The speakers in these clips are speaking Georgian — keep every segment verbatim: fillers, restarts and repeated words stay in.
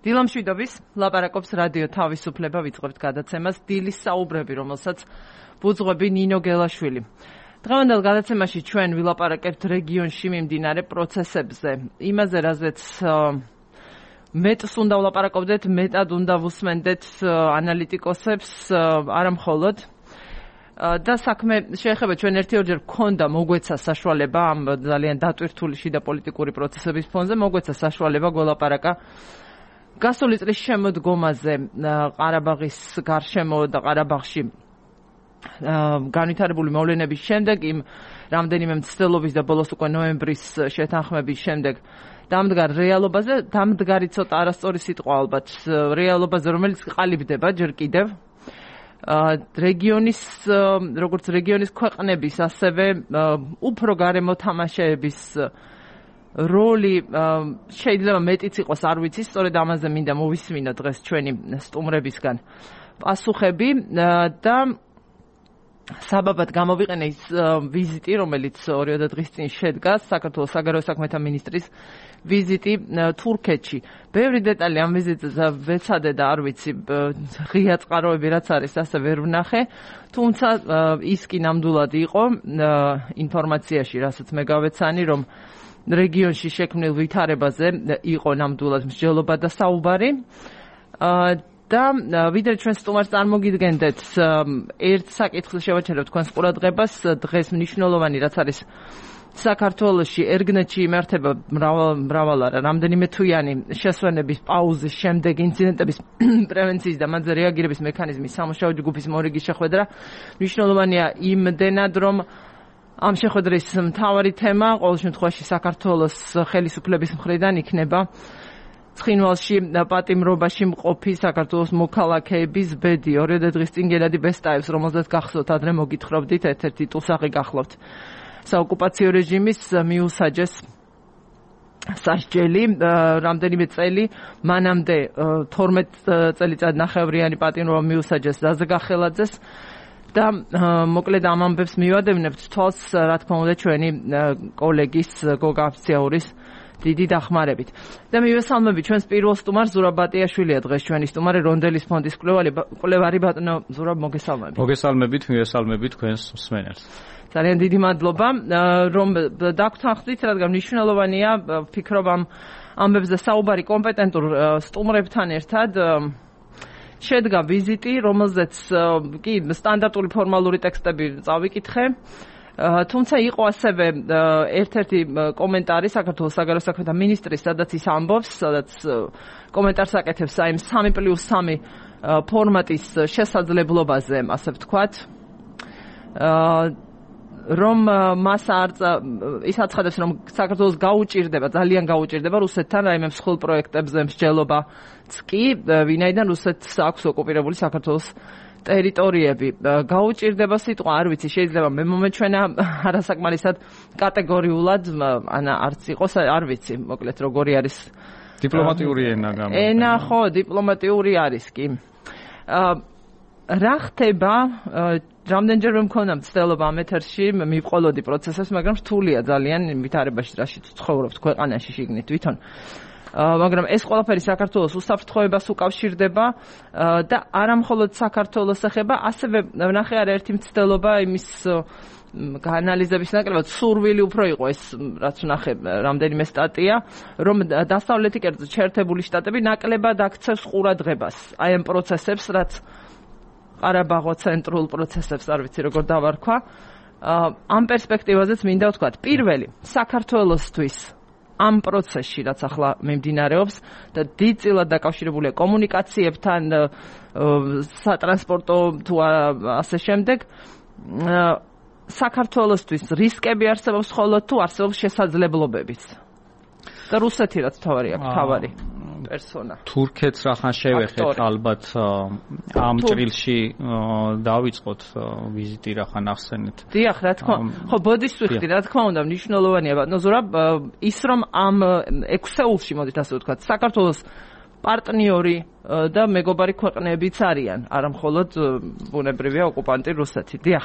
დილამშვიდობის, ლაპარაკობს რადიო თავისუფლება, ვიწყებთ გადაცემას დილის საუბრები, რომელსაც ბუძღვები ნინო გელაშვილი. დღევანდელ გადაცემაში ჩვენ ვილაპარაკებთ რეგიონში მიმდინარე პროცესებზე, იმაზე, რაზეც მეტს უნდა ვლაპარაკობდეთ, მეტად უნდა ვუსმენდეთ ანალიტიკოსებს, არა მხოლოდ. და საქმე შეეხება ჩვენ ერთი ორჯერ გქონდა მოგვეცა საშუალება ამ ძალიან დატვირთული შიდა პოლიტიკური პროცესების ფონზე, მოგვეცა საშუალება გველაპარაკა გასული წლის შემოდგომაზე ყარაბაღის გარშემო და ყარაბაღში განვითარებული მოვლენების შემდეგ, იმ რამდენიმე მცდელობის და ბოლოს უკვე ნოემბრის შეთანხმების შემდეგ დამდგარ რეალობაზე, დამდგარი ცოტა არასწორი სიტყვა ალბათ, რეალობაზე, რომელიც ყალიბდება ჯერ კიდევ რეგიონის, როგორც რეგიონის ქვეყნების, ასევე უფრო გარემო თამაშეების როლი შეიძლება მეტიც იყოს, არ ვიცი, სწორედ ამაზე მინდა მოვისმინო დღეს ჩვენი სტუმრებისგან პასუხები და საბაბად გამოვიყენე ის ვიზიტი, რომელიც ორი დღის წინ შედგა, საქართველოს საგარეო საქმეთა მინისტრის ვიზიტი თურქეთში. ბევრი დეტალი ამ ვიზიტზე ვეცადე და არ ვიცი, ღია წყაროები რაც არის, ასე ვერ ვნახე, თუმცა ის კი ნამდვილად იყო ინფორმაციაში, რასაც მე გავეცანი, რომ რეგიონში შექმნილ ვითარებაზე იყო ნამდვილად მსჯელობა და საუბარი. და ვიდრე ჩვენ სტუმარს წარმოგიდგენდეთ, ერთ საკითხს შევაჩერებთ თქვენს ყურადღებას, დღეს მნიშვნელოვანი რაც არის საქართველოში, ერგნეთში იმართება მრავალ არა, რამდენიმე თვიანი შესვენების პაუზის შემდეგ ინციდენტების პრევენციის და მათზე რეაგირების მექანიზმის სამუშაო ჯგუფის მორიგის შეხვედრა. მნიშვნელოვანია იმდენად, რომ ამ შეხვედრის მთავარი თემა ყოველ შემთხვევაში საქართველოს ხელისუფლების მხრიდან იქნება ცხინვალში პატიმრობაში მყოფი საქართველოს მოქალაქეების ბედი. ორი დღის წინ გენადი ბესტაევს, რომელზეც გახსოვთ, ადრე მოგითხრობდით, ერთ-ერთი ტუსაღი გახლავთ საოკუპაციო რეჟიმის მიუსაჯეს სასჯელი, რამდენიმე წელი მანამდე თორმეტ წელიწად ნახევრიანი პატიმრობა მიუსაჯეს ზაზა გახელაძეს და მოკლედ ამ ამბებს მივადევნებთ თვალს, რა თქმა უნდა, ჩვენი კოლეგის გოგა აფციაურის დიდი დახმარებით. და მივესალმები ჩვენს პირველ სტუმარს, ზურაბ ბატიაშვილია დღეს ჩვენი სტუმარი, რონდელის ფონდის კვლევარი. ბატონო ზურაბ, მოგესალმებით. მოგესალმებით, მივესალმებით თქვენს მსმენელს. ძალიან დიდი მადლობა, რომ დაგვრთანხდით, რადგან მნიშვნელოვანია, ვფიქრობ ამ ამბებზე საუბარი კომპეტენტურ სტუმრებთან ერთად. შედგა ვიზიტი, რომელზეც კი სტანდარტული ფორმალური ტექსტები წავიკითხე. თუმცა იყო ასევე ერთ-ერთი კომენტარი საქართველოს საგარეო საქმეთა მინისტრის, სადაც ის ამბობს, სადაც კომენტარს აკეთებს აი სამი პლუს სამი ფორმატის შესაძლებლობაზე, ასე ვთქვათ. რომ მას არ ის აცხადებს, რომ საქართველოს გაუჭირდება, ძალიან გაუჭირდება რუსეთთან რაიმე მსხვილ პროექტებზე მსჯელობაც კი, ვინაიდან რუსეთს აქვს ოკუპირებული საქართველოს ტერიტორიები. გაუჭირდება სიტყვა, არ ვიცი, შეიძლება მე მომეჩვენა არასაკმარისად კატეგორიულად, ან არც იყოს, არ ვიცი, მოკლედ როგორი არის დიპლომატიური ენა გამო. ენა ხო, დიპლომატიური არის კი. რა ხდება, რამდენჯერმე მქონდა მცდელობა ამ ეთერში, მივყოლოდი პროცესებს, მაგრამ რთულია ძალიან ვითარებაში, რაშიც ცხოვრობთ ქვეყანაში შიგნით თვითონ. მაგრამ ეს ყველაფერი საქართველოს უსაფრთხოებას უკავშირდება და არა მხოლოდ საქართველოს ეხება, ასევე ვნახე არა ერთი მცდელობა იმის გაანალიზების ნაკლებად სურვილი უფრო იყო ეს, რაც ვნახე რამდენიმე სტატია, რომ დასავლეთი კერძო შეერთებული შტატები ნაკლებად აქცევს ყურადღებას აი ამ პროცესებს, რაც ყარაბაღო ცენტრულ პროცესებს, არ ვიცი როგორ დავარქვა. ამ პერსპექტივაზეც მინდა ვთქვათ, პირველი საქართველოსთვის ამ პროცესში, რაც ახლა მიმდინარეობს და დიდწილად დაკავშირებულია კომუნიკაციებთან, სატრანსპორტო თუ ასე შემდეგ, საქართველოსთვის რისკები არსებობს მხოლოდ თუ არსებობს შესაძლებლობებიც. და რუსეთი რაც თავარი აქვს, თავარი პერსონა. თურქეთს რახან შევეხეთ, ალბათ ამ ჭრილში დავიწყოთ ვიზიტი რახან ახსენეთ. დიახ, რა თქმა უნდა. ხო, ბოდიშს ვიხდი, რა თქმა უნდა, მნიშვნელოვანია, ბატონო ზურაბ, ის რომ ამ ექვსეულში, მოდით ასე ვთქვათ, საქართველოს პარტნიორი და მეგობარი ქვეყნებიც არიან, არა მხოლოდ ბუნებრივია ოკუპანტი რუსეთი. დიახ.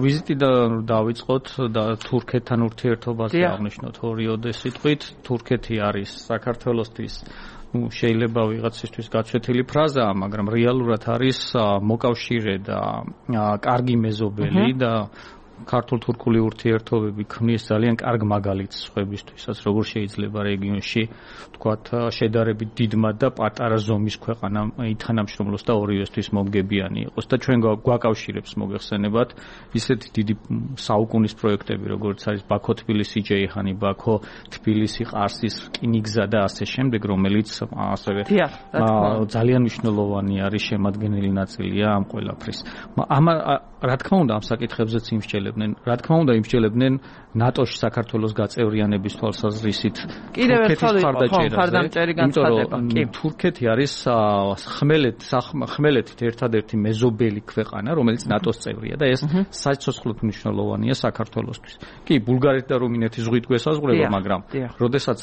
ვიზიტი და დავიწყოთ და თურქეთთან ურთიერთობაზე აღნიშნოთ ორი ოდე სიტყვით. თურქეთი არის საქართველოსთვის ნუ შეიძლება ვიღაცისთვის გაცვეთილი ფრაზაა, მაგრამ რეალურად არის მოკავშირე და კარგი მეზობელი და ქართულ-თურქული ურთიერთობები ქმნის ძალიან კარგ მაგალითს სხვებისთვისაც, როგორ შეიძლება რეგიონში თქვათ შედარებით დიდმა და პატარა ზომის ქვეყანამ ითანამშრომლოს და ორივესთვის მომგებიანი იყოს და ჩვენ გვაკავშირებს მოგეხსენებათ ისეთი დიდი საუკუნის პროექტები, როგორც არის ბაქო-თბილისი-ჯეიჰანი, ბაქო-თბილისი-ყარსის რკინიგზა და ასე შემდეგ, რომელიც ასევე ძალიან მნიშვნელოვანი არის შემადგენელი ნაწილია ამ ყველაფრის. ამ რა თქმა უნდა ამ საკითხებზეც იმსჯელებდნენ, რა თქმა უნდა იმსჯელებდნენ ნატოში საქართველოს გაწევრიანების თვალსაზრისით თურქეთის ხარდაჭერაზე, იმიტომ რომ თურქეთი არის ხმელეთ ხმელეთით ერთადერთი მეზობელი ქვეყანა, რომელიც ნატოს წევრია და ეს საცოცხლოდ მნიშვნელოვანია საქართველოსთვის. კი, ბულგარეთი და რუმინეთი ზღვით გვესაზღვრება, მაგრამ როდესაც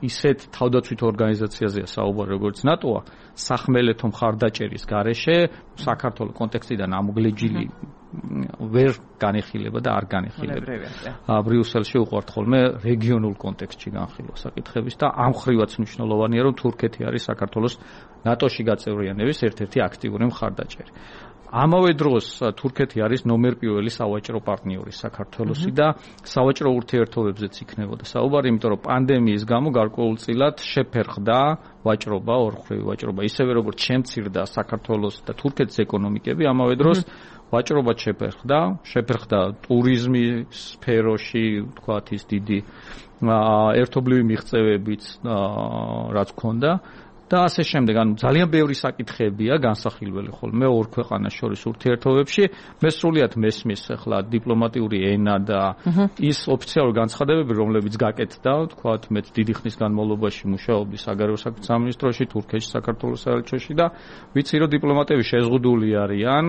ისეთ თავდაცვით ორგანიზაციაზეა საუბარი, როგორც ნატოა, სახმელეთო მხარდაჭერის გარეშე საქართველოს კონტექსტიდან ამოგლეჯილი ვერ განიხილება და არ განიხილება. ბრიუსელში უყვართ ხოლმე რეგიონულ კონტექსტში განხილვა საკითხების და ამ ხრივაც მნიშვნელოვანია, რომ თურქეთი არის საქართველოს ნატოში გაწევრიანების ერთ-ერთი აქტიური მხარდაჭერი. ამავე დროს თურქეთი არის ნომერ პირველი სავაჭრო პარტნიორი საქართველოსი და სავაჭრო ურთიერთობებზეც იქნებოდა საუბარი, იმიტომ რომ პანდემიის გამო გარკვეულწილად შეფერხდა ვაჭრობა, ორმხრივი ვაჭრობა, ისევე როგორც შემცირდა საქართველოს და თურქეთის ეკონომიკები, ამავე დროს ვაჭრობა შეფერხდა, შეფერხდა ტურიზმის სფეროში, თქვათ ის დიდი ერთობლივი მიღწევებიც რაც ჰქონდა და ასე შემდეგ, ანუ ძალიან ბევრი საკითხებია განსახილველი ხოლმე ორ ქვეყანას შორის ურთიერთობებში. მე სრულიად მესმის ახლა დიპლომატიური ენა და ის ოფიციალური განცხადებები, რომლებიც გაკეთდა, თქვათ, მეც დიდი ხნის განმავლობაში მუშაობდი საგარეო საქმეთა სამინისტროში, თურქეთში, საქართველოს საელჩოში და ვიცი, რომ დიპლომატები შეზღუდული არიან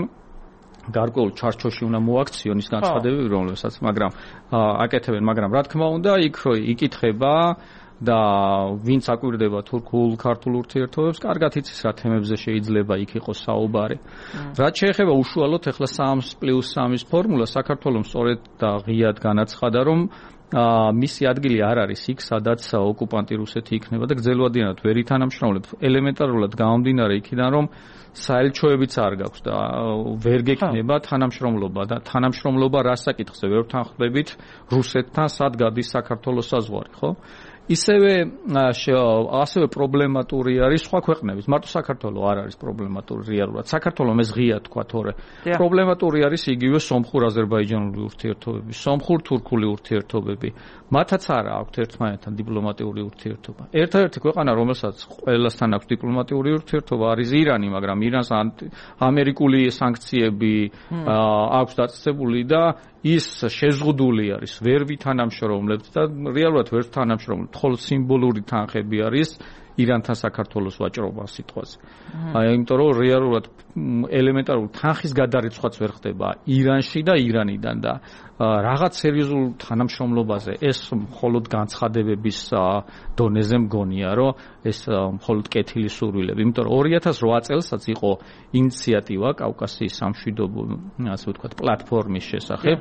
გარკვეულ ჩარჩოში უნდა მოაქციონ ის განცხადებები, რომლებსაც, მაგრამ აკეთებენ, მაგრამ რა თქმა უნდა, იქ იკითხება და ვინც აკვირდება თურქულ-ქართულ ურთიერთობებს, კარგად იცის რა თემებზე შეიძლება იქ იყოს საუბარი. რაც შეეხება უშუალოდ ახლა სამს პლუს სამის ფორმულა, საქართველოს სწორედ და ღიად განაცხადა, რომ მისი ადგილი არ არის იქ, სადაც ოკუპანტი რუსეთი იქნება და გრძელვადიანად ვერ ითანამშრომლებს. ელემენტარულად გამომდინარე იქიდან, რომ საელჩოებიც არ გაქვს და ვერ გექნება თანამშრომლობა და თანამშრომლობა რა საკითხზე ვერ თანხმდებით რუსეთთან, სად გადის საქართველოს საზღვარი, ხო? ისევე ასევე პრობლემატური არის სხვა ქვეყნების. მარტო საქართველო არ არის პრობლემატური რეალურად. საქართველო ეს ღია თქვა თორე. პრობლემატური არის იგივე სომხურ-აზერბაიჯანული ურთიერთობები, სომხურ-თურქული ურთიერთობები. მათაც არა აქვთ ერთმანეთთან დიპლომატიური ურთიერთობა. ერთადერთი ქვეყანა, რომელსაც ყველასთან აქვს დიპლომატიური ურთიერთობა, არის ირანი, მაგრამ ირანს ამერიკული სანქციები აქვს დაწესებული და ის შეზღუდული არის, ვერ ვითანამშრომლებთ და რეალურად ვერ თანამშრომლებთ, ხოლო სიმბოლური თანხები არის ირანთან საქართველოს ვაჭრობა სიტყვაზე. აი, იმიტომ რომ რეალურად ელემენტარული თანხის გადარიცხვაც ვერ ხდება ირანში და ირანიდან და რაღაც სერიოზულ თანამშრომლობაზე ეს მხოლოდ განცხადებების დონეზე მგონია, რომ ეს მხოლოდ კეთილი სურვილები. იმიტომ რომ ორი ათას რვა წელსაც იყო ინიციატივა კავკასიის სამშვიდობო, ასე ვთქვათ, პლატფორმის შესახებ,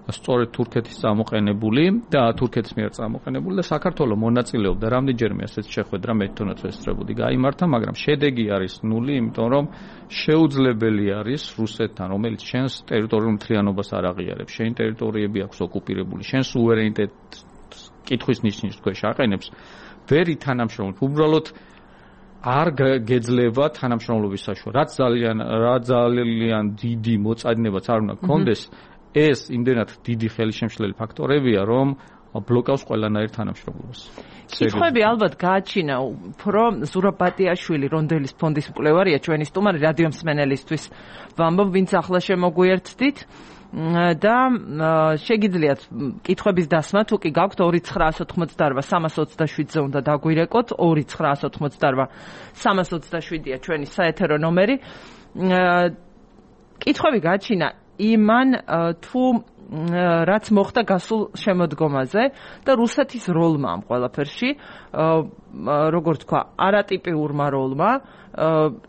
სწორედ თურქეთის წამოყენებული და თურქეთის მიერ წამოყენებული და საქართველოს მონაწილეობდა რამდენჯერმე ასეთ შეხვედრა მე თვითონაც ვესწრებოდი გაიმართა, მაგრამ შედეგი არის ნული, იმიტომ რომ შეუძლებელი არის რუსეთთან, რომელიც შენს ტერიტორიულ მთლიანობას არ აღიარებს, შენი ტერიტორიები აქვს ოკუპირებული, შენ სუვერენიტეტს კითხვის ნიშნის ქვეშ აყენებს, ვერ ითანამშრომლობ, უბრალოდ არ გეძლება თანამშრომლობის საშუალება. რაც ძალიან რა ძალიან დიდი მოწადინებაც არ უნდა გქონდეს, ეს იმდენად დიდი ხელისშემშლელი ფაქტორებია, რომ ბლოკავს ყველანაირ თანამშრომლობას. კითხვები ალბათ გააჩინა უფრო ზურაბ ბატიაშვილი, რონდელის ფონდის მკვლევარია, ჩვენი სტუმარი რადიო მსმენელისთვის ვამბობ, ვინც ახლა შემოგვიერთდით და შეგიძლიათ კითხვების დასმა, თუ კი გაქვთ ორი ცხრაას ოთხმოცდაორვა სამას ოცდაშვიდზე უნდა დაგვირეკოთ, ორი ცხრაას ოთხმოცდაორვა სამას ოცდაშვიდია ჩვენი საეთერო ნომერი. კითხვები გააჩინა იმან თუ რაც მოხდა გასულ შემოდგომაზე და რუსეთის როლმა ამ ყველაფერში, როგორც თქვა, არატიპიურმა როლმა,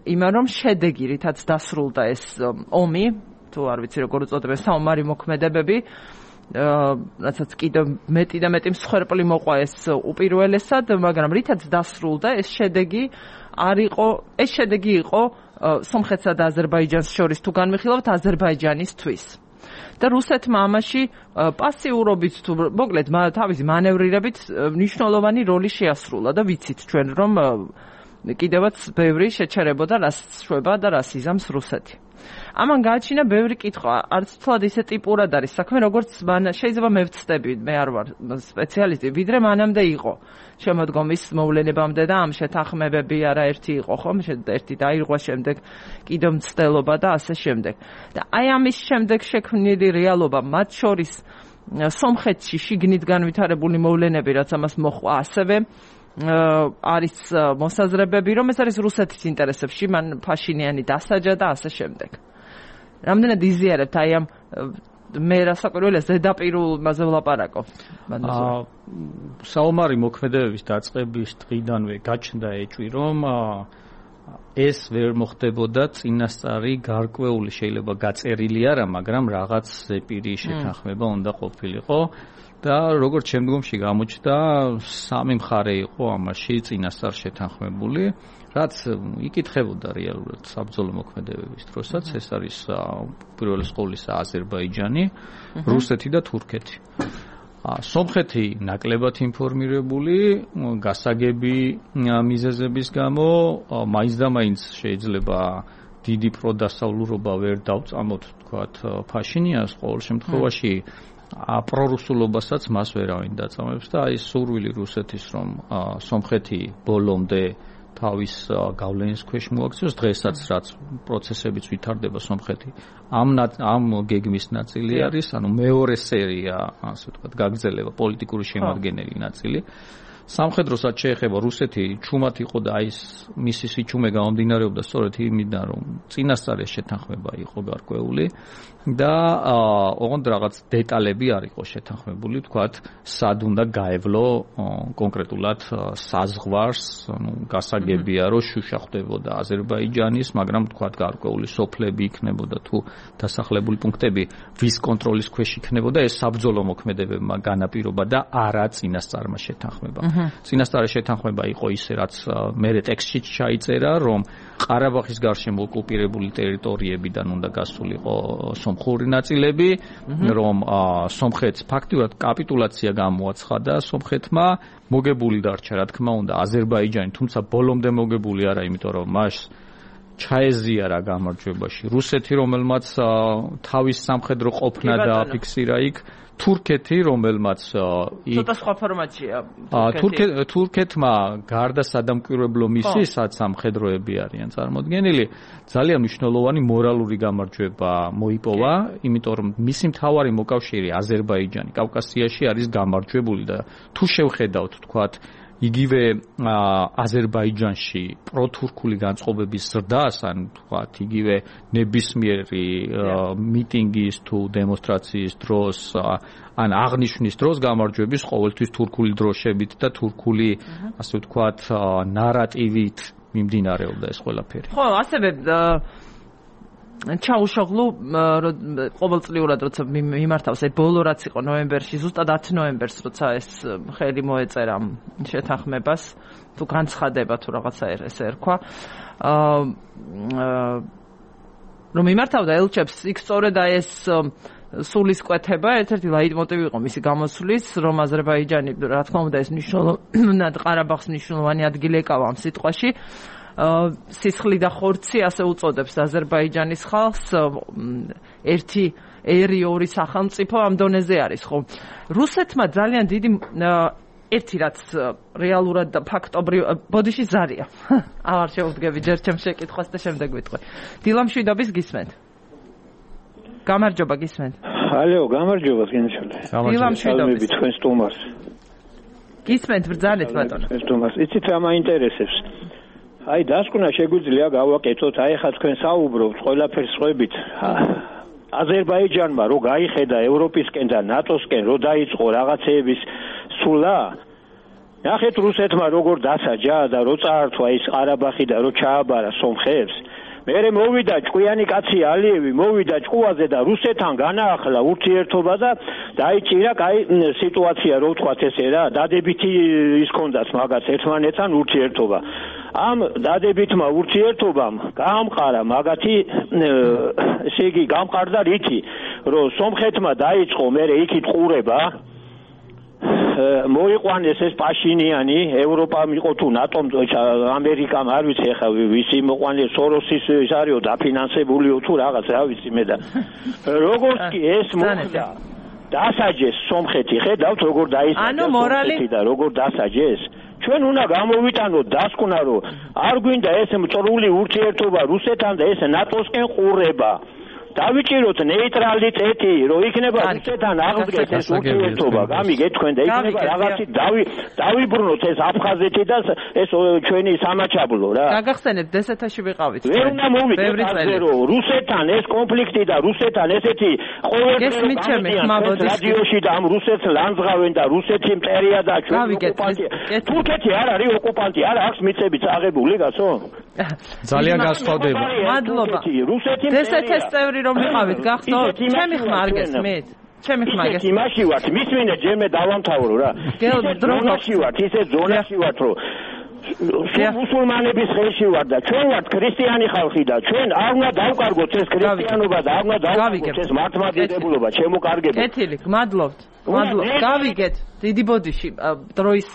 იმან რომ შედეგი, რითაც დასრულდა ეს ომი, თუ არ ვიცი როგორ უწოდებენ, საომარი მოქმედებები, რასაც კიდევ მეტი და მეტი მსხვერპლი მოყვა ეს უპირველესად, მაგრამ რითაც დასრულდა ეს შედეგი არ იყო, ეს შედეგი იყო სომხეთსა და აზერბაიჯანს შორის თუ განვიხილავთ აზერბაიჯანისთვის. და რუსეთმა ამაში პასიურობით თუ მოკლედ თავისი მანევრირებით მნიშვნელოვანი როლი შეასრულა და ვიცით ჩვენ რომ კიდევაც ბევრი შეჩერებოდა რას შვება და რას იზამს რუსეთი. ამან გააჩინა ბევრი კითხვა, არც თლად ისე ტიპურად არის საქმე, როგორც შეიძლება მე ვცდები, მე არ ვარ სპეციალისტი, ვიდრე მანამდე იყო შემოდგომის მოვლენებამდე და ამ შეთანხმებები არაერთი იყო, ხომ? ერთი დაირღვა, შემდეგ კიდევ მცდელობა და ასე შემდეგ. და აი ამის შემდეგ შექმნილი რეალობა, მათ შორის სომხეთში შიგნით განვითარებული მოვლენები, რაც ამას მოჰყვა, ასევე არის მოსაზრებები, რომ ეს არის რუსეთის ინტერესებში, მან ფაშინიანი დასაჯა და ასე შემდეგ. რამდენად იზიარებთ აი ამ მე რასაკვირველია ზედაპირულზე ვლაპარაკობ. საომარი მოქმედებების დაწყების დღიდანვე გაჩნდა ეჭვი, რომ ეს ვერ მოხდებოდა წინასწარი გარკვეული შეიძლება გაწერილი არა, მაგრამ რაღაც ზეპირი შეთანხმება უნდა ყოფილიყო. და როგორც შემდგომში გამოჩნდა, სამი მხარე იყო ამაში წინასწარ შეთანხმებული, რაც იკითხებოდა რეალურად საბრძოლო მოქმედებების დროსაც, ეს არის პირველის ყოვლისა აზერბაიჯანი, რუსეთი და თურქეთი. სომხეთი ნაკლებად ინფორმირებული, გასაგები მიზეზების გამო, მაინც და მაინც შეიძლება დიდი პროდასავლურობა ვერ დავწამოთ, თქვათ, ფაშინიანს ყოველ შემთხვევაში პრორუსულობასაც მას ვერავინ დაწამებს და აი სურვილი რუსეთის რომ სომხეთი ბოლომდე თავის გავლენის ქვეშ მოაქციოს, დღესაც რაც პროცესებიც ვითარდება სომხეთი ამ ამ გეგმის ნაწილი არის, ანუ მეორე სერია, ასე ვთქვათ, გაგრძელება პოლიტიკური შემადგენელი ნაწილი. სამხედროსაც შეეხება რუსეთი ჩუმად იყო და აი მისი სიჩუმე გამომდინარეობდა სწორედ იმიდან, რომ წინასწარ შეთანხმება იყო გარკვეული და ოღონდ რაღაც დეტალები არ იყო შეთანხმებული, თქვათ, სად უნდა გაევლო კონკრეტულად საზღვარს, ანუ გასაგებია, რომ შუშა ხდებოდა აზერბაიჯანის, მაგრამ თქვათ, გარკვეული სოფლები იქნებოდა თუ დასახლებული პუნქტები ვის კონტროლის ქვეშ იქნებოდა, ეს საბრძოლო მოქმედებებმა განაპირობა და არა წინასწარმა შეთანხმება. წინასწარი შეთანხმება იყო ისე, რაც მერე ტექსტში ჩაიწერა, რომ ყარაბაღის გარშემო ოკუპირებული ტერიტორიებიდან უნდა გასულიყო სომხური ნაწილები, რომ სომხეთს ფაქტიურად კაპიტულაცია გამოაცხადა სომხეთმა, მოგებული დარჩა, რა თქმა უნდა, აზერბაიჯანი, თუმცა ბოლომდე მოგებული არა, იმიტომ რომ მას ჩაეზიარა გამარჯვებაში რუსეთი, რომელმაც თავის სამხედრო ყოფნა დააფიქსირა იქ, თურქეთი, რომელმაც ცოტა სხვა ფორმატია. თურქეთმა გარდა სადამკვირვებლო მისიასაც სამხედროები არიან წარმოდგენილი, ძალიან მნიშვნელოვანი მორალური გამარჯვება მოიპოვა, იმიტომ რომ მისი მთავარი მოკავშირე აზერბაიჯანი კავკასიაში არის გამარჯვებული და თუ შევხედავთ, თქვათ, იგივე აზერბაიჯანში პროთურქული განწყობების ზრდას, ან თქვათ, იგივე ნებისმიერი მიტინგის თუ დემონსტრაციის დროს, ან აღნიშვნის დროს გამარჯვების ყოველთვის თურქული დროშებით და თურქული, ასე ვთქვათ, ნარატივით მიმდინარეობდა ეს ყველაფერი. ხო, ასევე ჩაუშოღლუ ყოველწლიურად როცა მიმართავს აი ბოლო რაც იყო ნოემბერში, ზუსტად ათი ნოემბერს როცა ეს ხელი მოეწერა შეთანხმებას, თუ განცხადება თუ რაღაცა ესე ერქვა, რომ მიმართავდა ელჩებს, იქ სწორედ აი ეს სულისკვეთება ერთ-ერთი ლაიტმოტივი იყო მისი გამოსვლის, რომ აზერბაიჯანი, რა თქმა უნდა, ეს მნიშვნელოვნად ყარაბაღს მნიშვნელოვანი ადგილი ეკავა ამ სიტყვაში. სისხლი და ხორცი ასე უწოდებს აზერბაიჯანის ხალხს, ერთი ერი ორი სახელმწიფო ამ დონეზე არის, ხო? რუსეთმა ძალიან დიდი ერთი რაც რეალურად და ფაქტობრივ ბოდიში ზარია. აღარ შევდგები ჯერ ჩემს შეკითხვას და შემდეგ ვიტყვი. დილამშვიდობის გისმენთ. გამარჯობა გისმენთ. ალო, გამარჯობა გენშალე. დილამშვიდობის თქვენ სტუმარს. გისმენთ ბრძანეთ ბატონო. სტუმარს, იცით რა მაინტერესებს? აი დასკვნა შეგვიძლია გავაკეთოთ, აი ხა თქვენ საუბრობთ ყველაფერს ხვებით. აზერბაიჯანმა რო გაიხედა ევროპისკენ და ნატოსკენ რო დაიწყო რაღაცეების სულა, ნახეთ რუსეთმა როგორ დასაჯა და რო წაართვა ის ყარაბაღი და რო ჩააბარა სომხებს, მერე მოვიდა ჭკვიანი კაცი ალიევი მოვიდა ჭკუაზე და რუსეთთან განაახლა ურთიერთობა და დაიჭირა კაი სიტუაცია რო ვთქვათ ესე რა დადებითი ის ქონდათ მაგას ერთმანეთთან ურთიერთობა ამ დადებითმა ურთიერთობამ გაამყარა მაგათი ესე იგი გამყარდა რითი რომ სომხეთმა დაიწყო მერე იქით ყურება მოიყვანეს ეს პაშინიანი ევროპამ იყო თუ ნატომ ამერიკამ არ ვიცი ახლა ვისი მოყვანეს სოროსის ის არისო დაფინანსებულიო თუ რაღაც რა ვიცი მე და როგორც კი ეს მოხდა დასაჯეს სომხეთი ხედავთ როგორ დაისაჯა სომხეთი და როგორ დასაჯეს ჩვენ უნდა გამოვიტანოთ დასკვნა რომ არ გვინდა ეს მწრული ურთიერთობა რუსეთთან და ეს ნატოსკენ ყურება დავიჭიროთ ნეიტრალიტეტი, რომ იქნება რუსეთთან აღდგეს ეს ურთიერთობა, გამიგეთ თქვენ და იქნება რაღაცით დავიბრუნოთ ეს აფხაზეთი და ეს ჩვენი სამაჩაბლო რა. გაგახსენებთ დსთ-ში ვიყავით. ვერ უნდა მოვიდეთ ასე რომ რუსეთთან ეს კონფლიქტი და რუსეთთან ესეთი ყოველდღიური რადიოში და ამ რუსეთს ლანძღავენ და რუსეთი მტერია და ჩვენი ოკუპანტი. თურქეთი არ არის ოკუპანტი, არ აქვს მიწები წაღებული გასო? ძალიან გასწავდება. მადლობა. დსთ-ის წევრი რომ ვიყავით გახსოვთ ჩემი ხმა არ გესმით ჩემი ხმა გესმით იმაში ვართ მისმინე ჯერმე დავამთავრო რა ზონაში ვართ ისე ზონაში ვართ რომ მუსულმანების ხელში ვარ და ჩვენ ვართ ქრისტიანი ხალხი და ჩვენ არ უნდა დავკარგოთ ეს ქრისტიანობა და არ უნდა დავკარგოთ ეს მართლმადიდებულობა შემოკარგებით კეთილი გმადლობთ გმადლობთ გავიგეთ დიდი ბოდიში დროის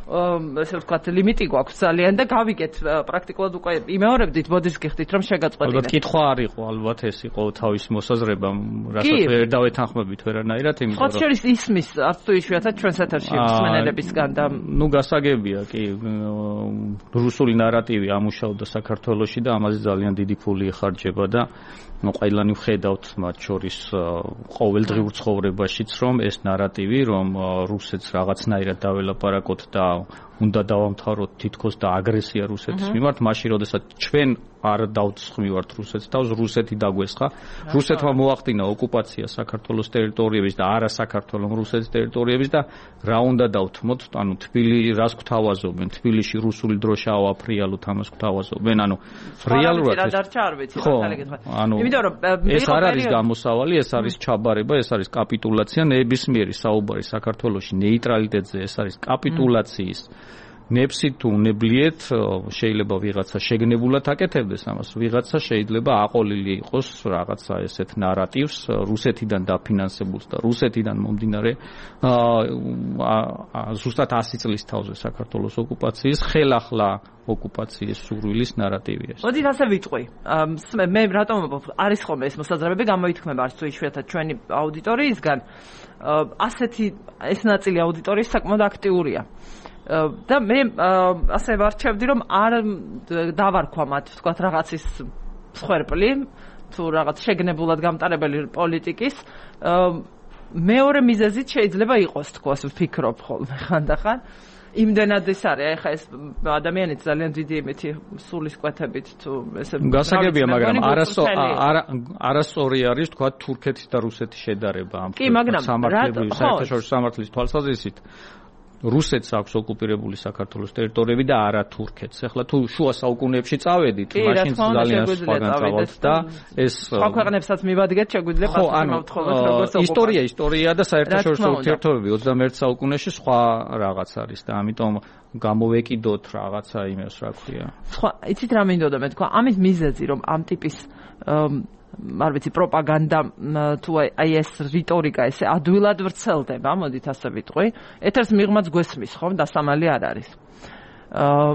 ესე ვთქვათ ლიმიტი გვაქვს ძალიან და გავიგეთ პრაქტიკულად უკვე იმეორებდით ბოდის გიხდით რომ შეგაწყვეტინეთ. ალბათ კითხვა არ იყო ალბათ ეს იყო თავის მოსაზრება რასაც ვერ დავეთანხმებით ვერანაირად იმიტომ რომ ხო შეიძლება ისმის არც თუ იშვიათად ჩვენს ეთერში მსმენელებისგან და ნუ გასაგებია კი რუსული ნარატივი ამუშავდა საქართველოში და ამაზე ძალიან დიდი ფული ეხარჯება და ну ყველანი ვხედავთ მათ შორის ყოველდღიურ ცხოვრებაშიც რომ ეს ნარატივი რომ რუსეთს რაღაცნაირად დაველაპარაკოთ და უნდა დავამთავროთ თითქოს და აგრესია რუსეთის მიმართ მაშინ როდესაც ჩვენ არ დავცხმივართ რუსეთს თავს რუსეთი დაგვესხა რუსეთმა მოახდინა ოკუპაცია საქართველოს ტერიტორიების და არა საქართველოს რუსეთის ტერიტორიების და რა უნდა დავთმოთ ანუ თბილი რას გვთავაზობენ თბილისში რუსული დროშა ავაფრიალოთ ამას გვთავაზობენ ანუ რეალურად რა დარჩა არ ვიცი მართალი გითხრა იმიტომ რომ ეს არ არის გამოსავალი ეს არის ჩაბარება ეს არის კაპიტულაცია ნებისმიერი საუბარი საქართველოში ნეიტრალიტეტზე ეს არის კაპიტულაციის ნებსით თუ უნებლიეთ შეიძლება ვიღაცა შეგნებულად აკეთებდეს ამას ვიღაცა შეიძლება აყოლილი იყოს რაღაცა ესეთ ნარატივს რუსეთიდან დაფინანსებულს და რუსეთიდან მომდინარე ზუსტად ასი წლის თავზე საქართველოს ოკუპაციის ხელახლა ოკუპაციის სურვილის ნარატივია. მოდით ასე ვიტყვი. მე რატომ არის ხოლმე ეს მოსაზრებები გამოითქმება არც თუ იშვიათად ჩვენი აუდიტორიისგან ასეთი ეს ნაწილი აუდიტორიის საკმაოდ აქტიურია. და მე ასე ვარჩევდი რომ არ დავარქვა მათ ვთქვათ რაღაცის მსხვერპლი თუ რაღაც შეგნებულად გამტარებელი პოლიტიკის მეორე მიზეზით შეიძლება იყოს თქოს ვფიქრობ ხოლმე ხანდახან იმდენად ეს არის ეხა ეს ადამიანი ძალიან დიდი იმეთი სულისკვეთებით თუ ესე გასაგებია მაგრამ არასწორი არის თქვა თურქეთის და რუსეთის შედარება ამ სამართლებრივი საერთაშორისო სამართლის თვალსაზრისით რუსეთს აქვს ოკუპირებული საქართველოს ტერიტორიები და არა თურქეთს. ახლა თუ შუა საუკუნეებში წავედით, მაშინ ძალიან სხვაგან წავალთ და ეს სხვა ქვეყნებსაც მივადგეთ, შეგვიძლია პასუხობთ როგორც ისტორია, ისტორია და საერთაშორისო ურთიერთობები ოცდამეერთე საუკუნეში სხვა რაღაც არის და ამიტომ გამოვეკიდოთ რაღაცა იმას, რა ქვია. სხვა, იცით რა მინდოდა მე თქვა, ამის მიზეზი რომ ამ ტიპის არ ვიცი პროპაგანდა თუ აი ეს რიტორიკა ესე ადვილად ვრცელდება, მოდით ასე ვიტყვი. ეთერს მიღმაც გვესმის, ხომ, დასამალი არ არის. აა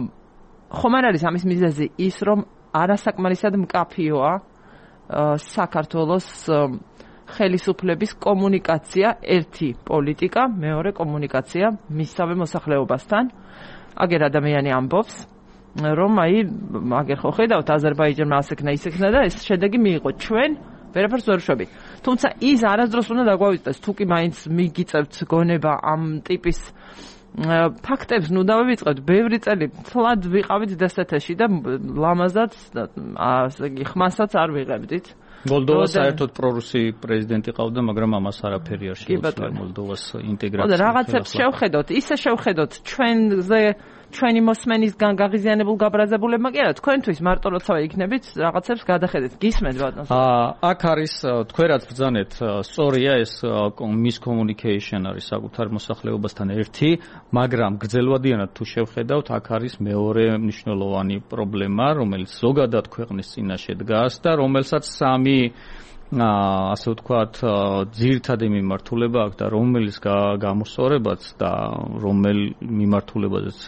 ხომ არ არის ამის მიზეზი ის, რომ არასაკმარისად მკაფიოა საქართველოს ხელისუფლების კომუნიკაცია, ერთი პოლიტიკა, მეორე კომუნიკაცია მისსავე მოსახლეობასთან. აგერ ადამიანი ამბობს რომ აი მაგერ ხო ხედავთ აზერბაიჯანმა ასექნა ისექნა და ეს შედეგი მიიღო ჩვენ ვერაფერს ვერ შვებით თუმცა ის არასდროს უნდა დაგვავიწყდეს თუ კი მაინც მიგიწევთ გონება ამ ტიპის ფაქტებს ნუ დავივიწყებთ ბევრი წელი თლად ვიყავით დსთ-ში და ლამაზად ასე იგი ხმასაც არ ვიღებდით მოლდოვა საერთოდ პრორუსი პრეზიდენტი ყავდა, მაგრამ ამას არაფერი არ შეუძლია მოლდოვას ინტეგრაცია. და რაღაცებს შევხედოთ, ისე შევხედოთ ჩვენზე ჩვენი მოსმენისგან გაღიზიანებულ გაბრაზებულებმა კი არა, თქვენთვის მარტო როცა იქნებით რაღაცებს გადახედეთ. გისმენთ ბატონო. აა აქ არის თქვენ რაც ბრძანეთ, სწორია ეს miscommunication არის საკუთარ მოსახლეობასთან ერთი, მაგრამ გრძელვადიანად თუ შევხედავთ, აქ არის მეორე მნიშვნელოვანი პრობლემა, რომელიც ზოგადად ქვეყნის წინაშე დგას და რომელსაც სამი ასე ვთქვათ, ძირითადი მიმართულება აქვს და რომელიც გამოსწორებაც და რომელ მიმართულებაზეც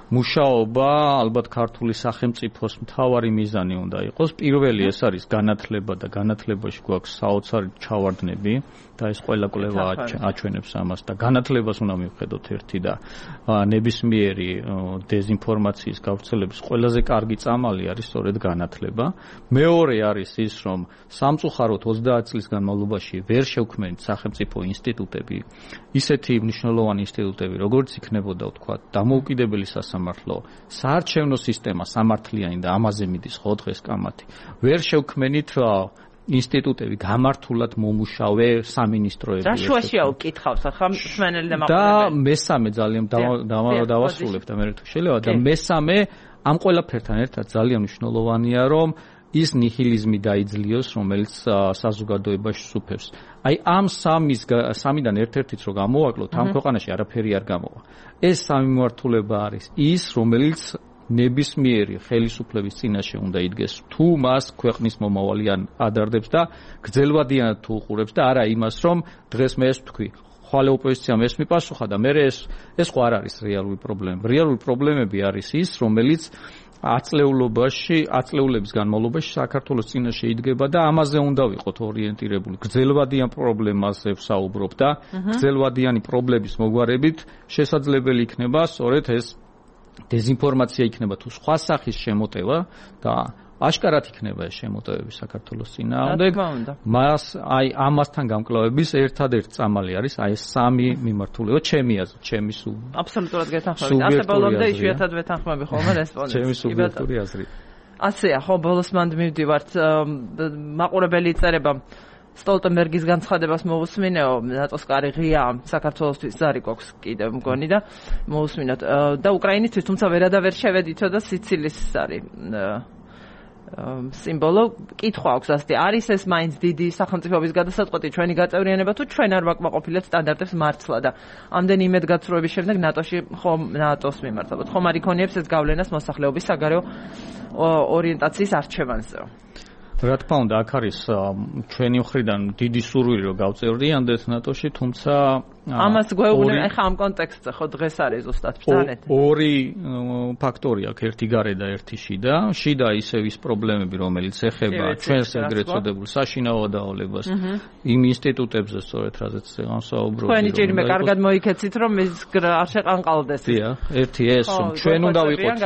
მუშაობა ალბათ ქართული სახელმწიფოს მთავარი მიზანი უნდა იყოს. პირველი ეს არის განათლება და განათლებაში გვაქვს საოცარი ჩავარდნები და ეს ყველა კვლევა აჩვენებს ამას და განათლებას უნდა მივხედოთ ერთი და ნებისმიერი დეზინფორმაციის გავრცელების ყველაზე კარგი წამალი არის სწორედ განათლება. მეორე არის ის, რომ სამწუხაროდ ოცდაათ წლის განმავლობაში ვერ შევქმნით სახელმწიფო ინსტიტუტები, ისეთი მნიშვნელოვანი ინსტიტუტები, როგორც იქნებოდა ვთქვათ, დამოუკიდებელი სასამართლო, საარჩევნო სისტემა სამართლიანი და ამაზე მიდის ხო დღეს კამათი. ვერ შევქმნით ინსტიტუტები გამართულად მომუშავე სამინისტროები. რა შუაშია უკითხავს ახლა მსმენელი და მაყურებელი. და მესამე ძალიან დავასრულებ და მე თუ შეიძლება და მესამე ამ ყველაფერთან ერთად ძალიან მნიშვნელოვანია, რომ ის ნიჰილიზმი დაიძლიოს, რომელიც საზოგადოებაში სუფევს. აი ამ სამის სამიდან ერთ-ერთიც რო გამოვაკლოთ, ამ ქვეყანაში არაფერი არ გამოვა. ეს სამი მიმართულება არის ის, რომელიც ნებისმიერი ხელისუფლების წინაშე უნდა იდგეს, თუ მას ქვეყნის მომავალი ადარდებს და გრძელვადიანად თუ უყურებს და არა იმას, რომ დღეს მე ეს ვთქვი, ხვალე ოპოზიციამ ეს მიპასუხა და მე ეს ეს ხო არ არის რეალური პრობლემა. რეალური პრობლემები არის ის, რომელიც აწლეულობაში, აწლეულების განმავლობაში საქართველოს წინაშე იდგება და ამაზე უნდა ვიყოთ ორიენტირებული. გრძელვადიან პრობლემაზე ვსაუბრობ და გრძელვადიანი პრობლემის მოგვარებით შესაძლებელი იქნება სწორედ ეს დეზინფორმაცია იქნება თუ სხვა სახის შემოტევა და აშკარად იქნება ეს შემოტევები საქართველოს წინააღმდეგ. მას აი ამასთან გამკლავების ერთადერთი წამალი არის აი ეს სამი მიმართულება, ჩემი აზრით, ჩემი სულ აბსოლუტურად გეთანხმებით. ასე ბოლომდე იშვიათად ვეთანხმები ხოლმე რესპონდენტს. ჩემი სუბიექტური აზრით. ასეა, ხო, ბოლოს მანდ მივდივართ, მაყურებელი იწერება სტოლტენბერგის განცხადებას მოусმინეო, ნატოს კარი ღია საქართველოსთვის ზარი გვაქვს კიდევ მგონი და მოусმინოთ და უკრაინისთვის, თუმცა ვერადავერ შევედითო და სიცილის არის სიმბოლო. კითხვა აქვს ასეთი, არის ეს მაინც დიდი სახელმწიფოების გადასაწყვეტი ჩვენი გაწევრიანება თუ ჩვენ არ ვაკმაყოფილეთ სტანდარტებს მართლა და ამდენი იმედგაცრუების შემდეგ ნატოში ხომ ნატოს მიმართავთ. ხომ არ იქონიებს ეს გავლენას მოსახლეობის საგარეო ორიენტაციის არჩევანზე? რა თქმა უნდა, აქ არის ჩვენი მხრიდან დიდი სურვილი რომ გავწევრდიანდეთ ნატოში, თუმცა ამას გვეუბნები ახლა ამ კონტექსტზე ხო დღეს არის ზუსტად ბრძანეთ. ორი ფაქტორი აქვს, ერთი გარე და ერთი შიდა. შიდა ისევ ის პრობლემები, რომელიც ეხება ჩვენს ეგრეთ წოდებულ საშინაო დაავადებას, იმ ინსტიტუტებზე სწორედ რაზეც განსაუბრობთ. თქვენი ჭირიმე კარგად მოიქეცით, რომ ეს არ შეყანყალდეს. დიახ, ერთი ეს, რომ ჩვენ უნდა ვიყოთ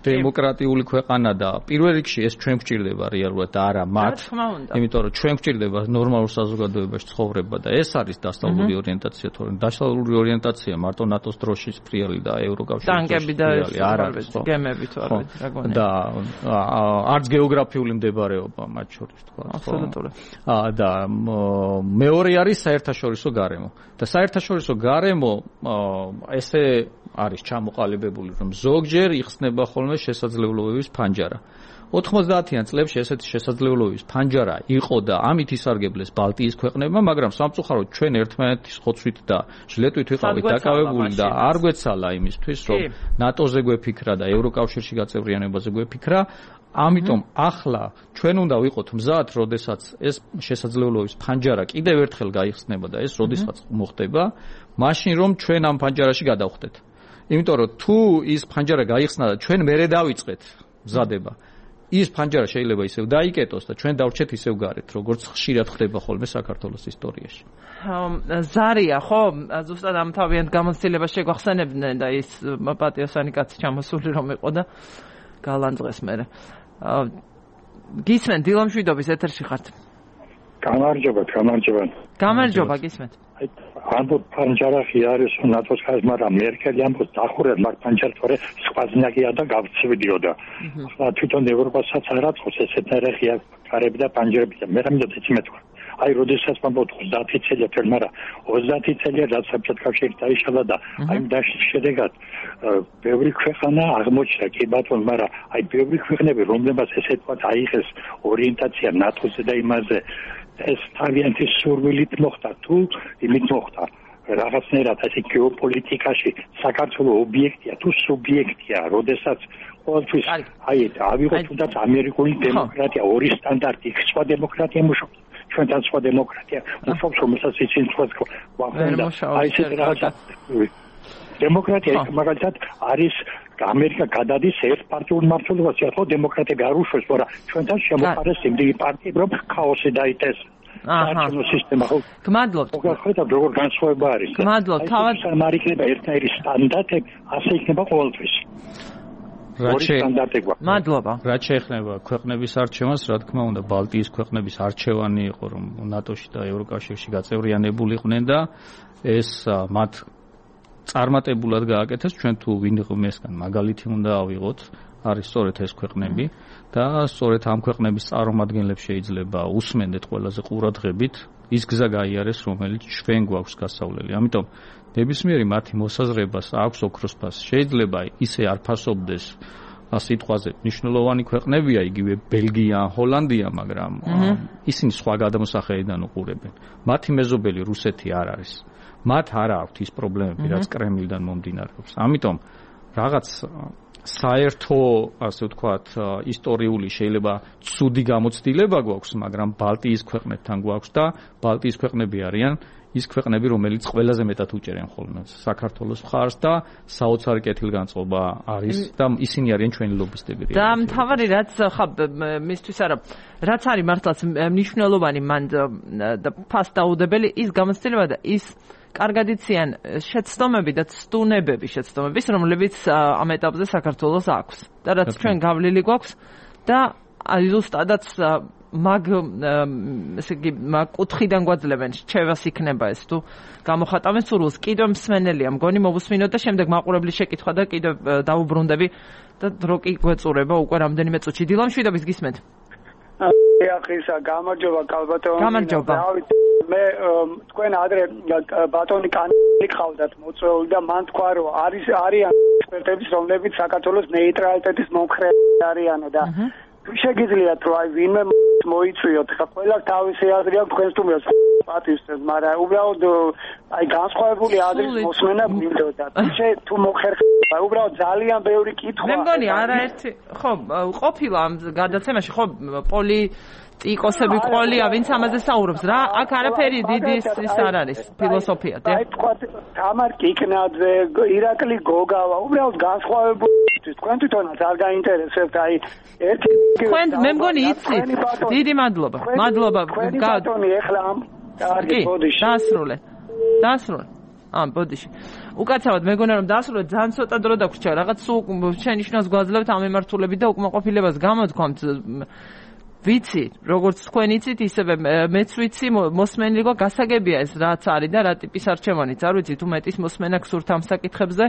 დემოკრატიული ქვეყანა და პირველ რიგში ეს ჩვენ გვჭირდება რეალურად და არა მათ. იმიტომ რომ ჩვენ გვჭირდება ნორმალურ საზოგადოებაში ცხოვრება და ეს არის დასავლური ორიენტაცია. დასავლური ორიენტაცია მარტო ნატოს დროშის ფრიალი და ევროკავშირის ტანკები და არ არის ხო? გემები თუ არ ვიცი რა გონია. და არც გეოგრაფიული მდებარეობა მათ შორის თქვა. აბსოლუტურად. და მეორე არის საერთაშორისო გარემო. და საერთაშორისო გარემო ესე არის ჩამოყალიბებული, რომ ზოგჯერ იხსნება ხოლმე შესაძლებლობების ფანჯარა. ოთხმოცდაათიან წლებში ესეთი შესაძლებლობების ფანჯარა იყო და ამით ისარგებლეს ბალტიის ქვეყნებმა, მაგრამ სამწუხაროდ ჩვენ ერთმანეთის ხოცვით და ჟლეტვით ვიყავით დაკავებული და არ გვეცალა იმისთვის, რომ ნატოზე გვეფიქრა და ევროკავშირში გაწევრიანებაზე გვეფიქრა. ამიტომ ახლა ჩვენ უნდა ვიყოთ მზად, როდესაც ეს შესაძლებლობების ფანჯარა კიდევ ერთხელ გაიხსნება და ეს როდესაც მოხდება, მაშინ რომ ჩვენ ამ ფანჯარაში გადავხდეთ. იმიტომ რომ თუ ის ფანჯარა გაიხსნა და ჩვენ მერე დავიწყეთ მზადება, ის ფანჯარა შეიძლება ისევ დაიკეტოს და ჩვენ დავრჩეთ ისევ გარეთ, როგორც ხშირად ხდება ხოლმე საქართველოს ისტორიაში. ზარია, ხო, ზუსტად ამ თავიანთ გამოცდილებას შეგვახსენებდნენ და ის პატიოსანი კაცი ჩამოსული რომ იყო და გალანძღეს მერე. გისმენთ, დილამშვიდობის ეთერში ხართ. გამარჯობა, გამარჯობა. გამარჯობა, გისმენთ. აი, ამბობ ფანჯარაში არის ნატოს ხაზ, მაგრამ მერკელი ამბობს დახურეთ მაგ ფანჯარას, თორე სხვაზნაკია და გავცვიდიოდა. ახლა თვითონ ევროპასაც არ აწყობს ესეთნაირი ღია კარები და ფანჯრები და მე რამე ეცი მეთქვა. აი როდესაც მომბოთ ოცდაათი წელი თერ მაგრამ ოცდაათი წელი რაც საბჭოთა კავშირი დაიშალა და აი დაშლის შედეგად ბევრი ქვეყანა აღმოჩნდა კი ბატონო მაგრამ აი ბევრი ქვეყნები რომლებსაც ესე თქვა აიღეს ორიენტაცია ნატოზე და იმაზე ეს თავიანთი სურვილით მოხდა თუ იმით მოხდა რაღაცნაირად ასე გეოპოლიტიკაში საქართველოს ობიექტია თუ სუბიექტია როდესაც ყოველთვის აი ავიღოთ თუნდაც ამერიკული დემოკრატია ორი სტანდარტი სხვა დემოკრატია მუშაობს ჩვენთან სხვა დემოკრატია მუშაობს რომელსაც იცით სხვა ვახონდა აი ეს რაღაცა დემოკრატია მაგალითად არის ამერიკა გადადის ერთპარტიულ მმართველობაში ხო დემოკრატები არ უშვებს მაგრამ ჩვენთან შემოყარეს იმდენი პარტიები რომ ქაოსი დაიდეს აჰა სისტემა ხო გმადლობთ მოგვიყვეთ როგორ განსხვავება არის გმადლობთ თავად სამარიქნება ერთნაირი სტანდარტები ასე იქნება ყოველთვის მადლობა რაც შეეხება ქვეყნების არჩევანს რა თქმა უნდა ბალტიის ქვეყნების არჩევანი იყო რომ ნატოში და ევროკავშირში გაწევრიანებულიყვნენ და ეს მათ წარმატებულად გააკეთეს ჩვენ თუ ვინ ღმესგან მაგალითი უნდა ავიღოთ არის სწორედ ეს ქვეყნები და სწორედ ამ ქვეყნების წარმომადგენლებს შეიძლება უსმენდეთ ყველაზე ყურადღებით ის გზა გაიარეს რომელიც ჩვენ გვაქვს გასავლელი ამიტომ ნებისმიერი მათი მოსაზრებას აქვს ოქროს ფასი შეიძლება ისე არ ფასობდეს სიტყვაზე მნიშვნელოვანი ქვეყნებია იგივე ბელგია ჰოლანდია მაგრამ ისინი სხვა გადამოსახედიდან უყურებენ მათი მეზობელი რუსეთი არ არის მათ არ აქვთ ის პრობლემები რაც კრემლიდან მომდინარეობს ამიტომ რაღაც საერთო ასე ვთქვათ ისტორიული შეიძლება ცუდი გამოცდილება გვაქვს მაგრამ ბალტიის ქვეყნებთან გვაქვს და ბალტიის ქვეყნები არიან ის ქვეყნები რომელიც ყველაზე მეტად უჭერენ ხოლმე საქართველოს მხარს და საოცარი კეთილგანწყობა არის და ისინი არიან ჩვენი ლობისტები და მთავარი რაც ხა მისთვის არა რაც არის მართლაც მნიშვნელოვანი მან და ფასდაუდებელი ის გამოცდილება და ის კარგად იციან შეცდომები და ცდუნებები შეცდომების რომლებიც ამ ეტაპზე საქართველოს აქვს და რაც ჩვენ გავლილი გვაქვს და ზუსტადაც მაგ ესე იგი მაგ კუთხიდან გვაძლევენ რჩევას იქნება ეს თუ გამოხატავენ სურვილს კიდევ მსმენელია მგონი მოვუსმინოთ და შემდეგ მაყურებლის შეკითხვა და კიდევ დაუბრუნდები და დრო კი გვეწურება უკვე რამდენიმე წუთში დილამშვიდობის გისმენთ ახისა გამარჯობა კალბატონი გამარჯობა მე თქვენ ადრე ბატონი კანილი ხავდათ მოწვეული და მან თქვა რომ არის არიან ექსპერტები რომლებიც საქართველოს ნეიტრალიტეტის მომხრე არიანო და შეგიძლიათ რომ აი ვინმე მოიწვიოთ ხა ყველა თავისი აზრი აქვს თქვენს თუმრას პატივსცემს მაგრამ უბრალოდ აი განსხვავებული აზრის მოსმენა გვინდოდა შე თუ მოხერხება უბრალოდ ძალიან ბევრი კითხვა მე მგონი არაერთი ხო ყოფილა ამ გადაცემაში ხო პოლი ტიკოსები ყოლია ვინც ამაზე საუბრობს რა აქ არაფერი დიდი ის არ არის ფილოსოფია და აი თქვა თამარ კიკნაძე ირაკლი გოგავა უბრალოდ განსხვავებული თქვენ თვითონაც არ გაინტერესებთ აი ერთი თქვენ მე მგონი იცით დიდი მადლობა მადლობა ბატონი ეხლა ამ კარგი ბოდიში დასრულე დასრულე ამ ბოდიში უკაცრავად მეგონა რომ დასრულე ძალიან ცოტა დრო დაგვრჩა რაღაც სულ შენიშნავს გვაძლევთ ამ მემართულებით და უკმაყოფილებას გამოთქვამთ ვიცი, როგორც თქვენ იცით, ისევე მეც ვიცი, მოსმენილი გო გასაგებია ეს რაც არის და რა ტიპის არჩევანიც, არ ვიცი თუ მეტის მოსმენა გსურთ ამ საკითხებზე.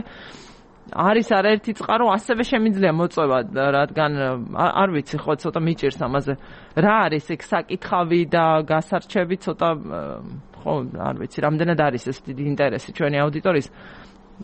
არის არაერთი წყარო, ასევე შემიძლია მოწვევა, რადგან არ ვიცი, ხო ცოტა მიჭირს ამაზე. რა არის ეგ საკითხავი და გასარჩევი ცოტა ხო, არ ვიცი, რამდენად არის ეს დიდი ინტერესი ჩვენი აუდიტორიის.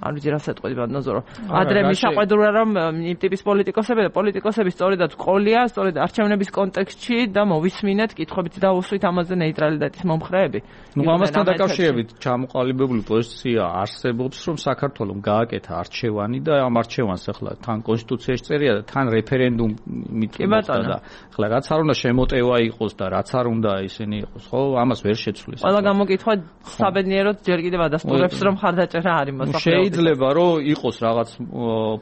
არ ვიცი რა სიტყვები ბატონო ადრე მიშაყვედურა რომ იმ ტიპის პოლიტიკოსები და პოლიტიკოსები სწორედად ყოლია სწორედ არჩევნების კონტექსტში და მოვისმინეთ კითხვებით დაუსვით ამაზე ნეიტრალიტეტის მომხრეები ნუ ამასთან დაკავშირებით ჩამოყალიბებული პოზიცია არსებობს რომ საქართველოს გააკეთა არჩევანი და ამ არჩევანს ახლა თან კონსტიტუციაში წერია და თან რეფერენდუმით მოხდა და ახლა რაც არ უნდა შემოტევა იყოს და რაც არ უნდა ისინი იყოს ხო ამას ვერ შეცვლის ყველა გამოკითხვა საბედნიეროდ ჯერ კიდევ ადასტურებს რომ ხარდაჭერა არის მოსახლეობის შეიძლება რომ იყოს რაღაც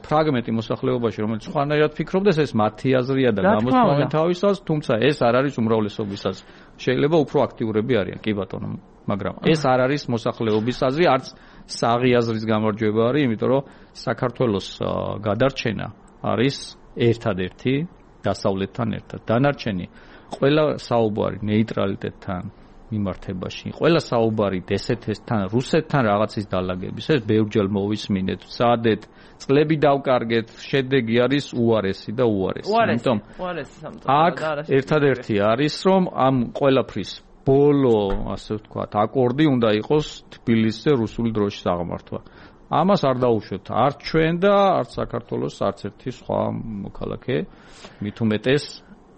ფრაგმენტი მოსახლეობაში რომელიც სხვანაირად ფიქრობდეს ეს მათი აზრია და გამოსწავლენ თავისას თუმცა ეს არ არის უმრავლესობისას შეიძლება უფრო აქტიურები არიან კი ბატონო მაგრამ ეს არ არის მოსახლეობის აზრი არც საღი აზრის გამარჯვება არის იმიტომ რომ საქართველოს გადარჩენა არის ერთადერთი დასავლეთთან ერთად დანარჩენი ყველა საუბარი ნეიტრალიტეტთან მიმართებაში. ყველა საუბარი დსთ-თან, რუსეთთან რაღაცის დალაგების. ეს ბევრჯერ მოვისმინეთ, ვსადეთ, წლები დავკარგეთ, შედეგი არის უარესი და უარესი. ამიტომ უარესი სამწუხაროდ აქ ერთადერთი არის რომ ამ ყველაფრის ბოლო, ასე ვთქვათ, აკორდი უნდა იყოს თბილისზე რუსული დროშის აღმართვა. ამას არ დაუშვებთ არც ჩვენ და არც საქართველოს არც ერთი სხვა მოქალაქე, მით უმეტეს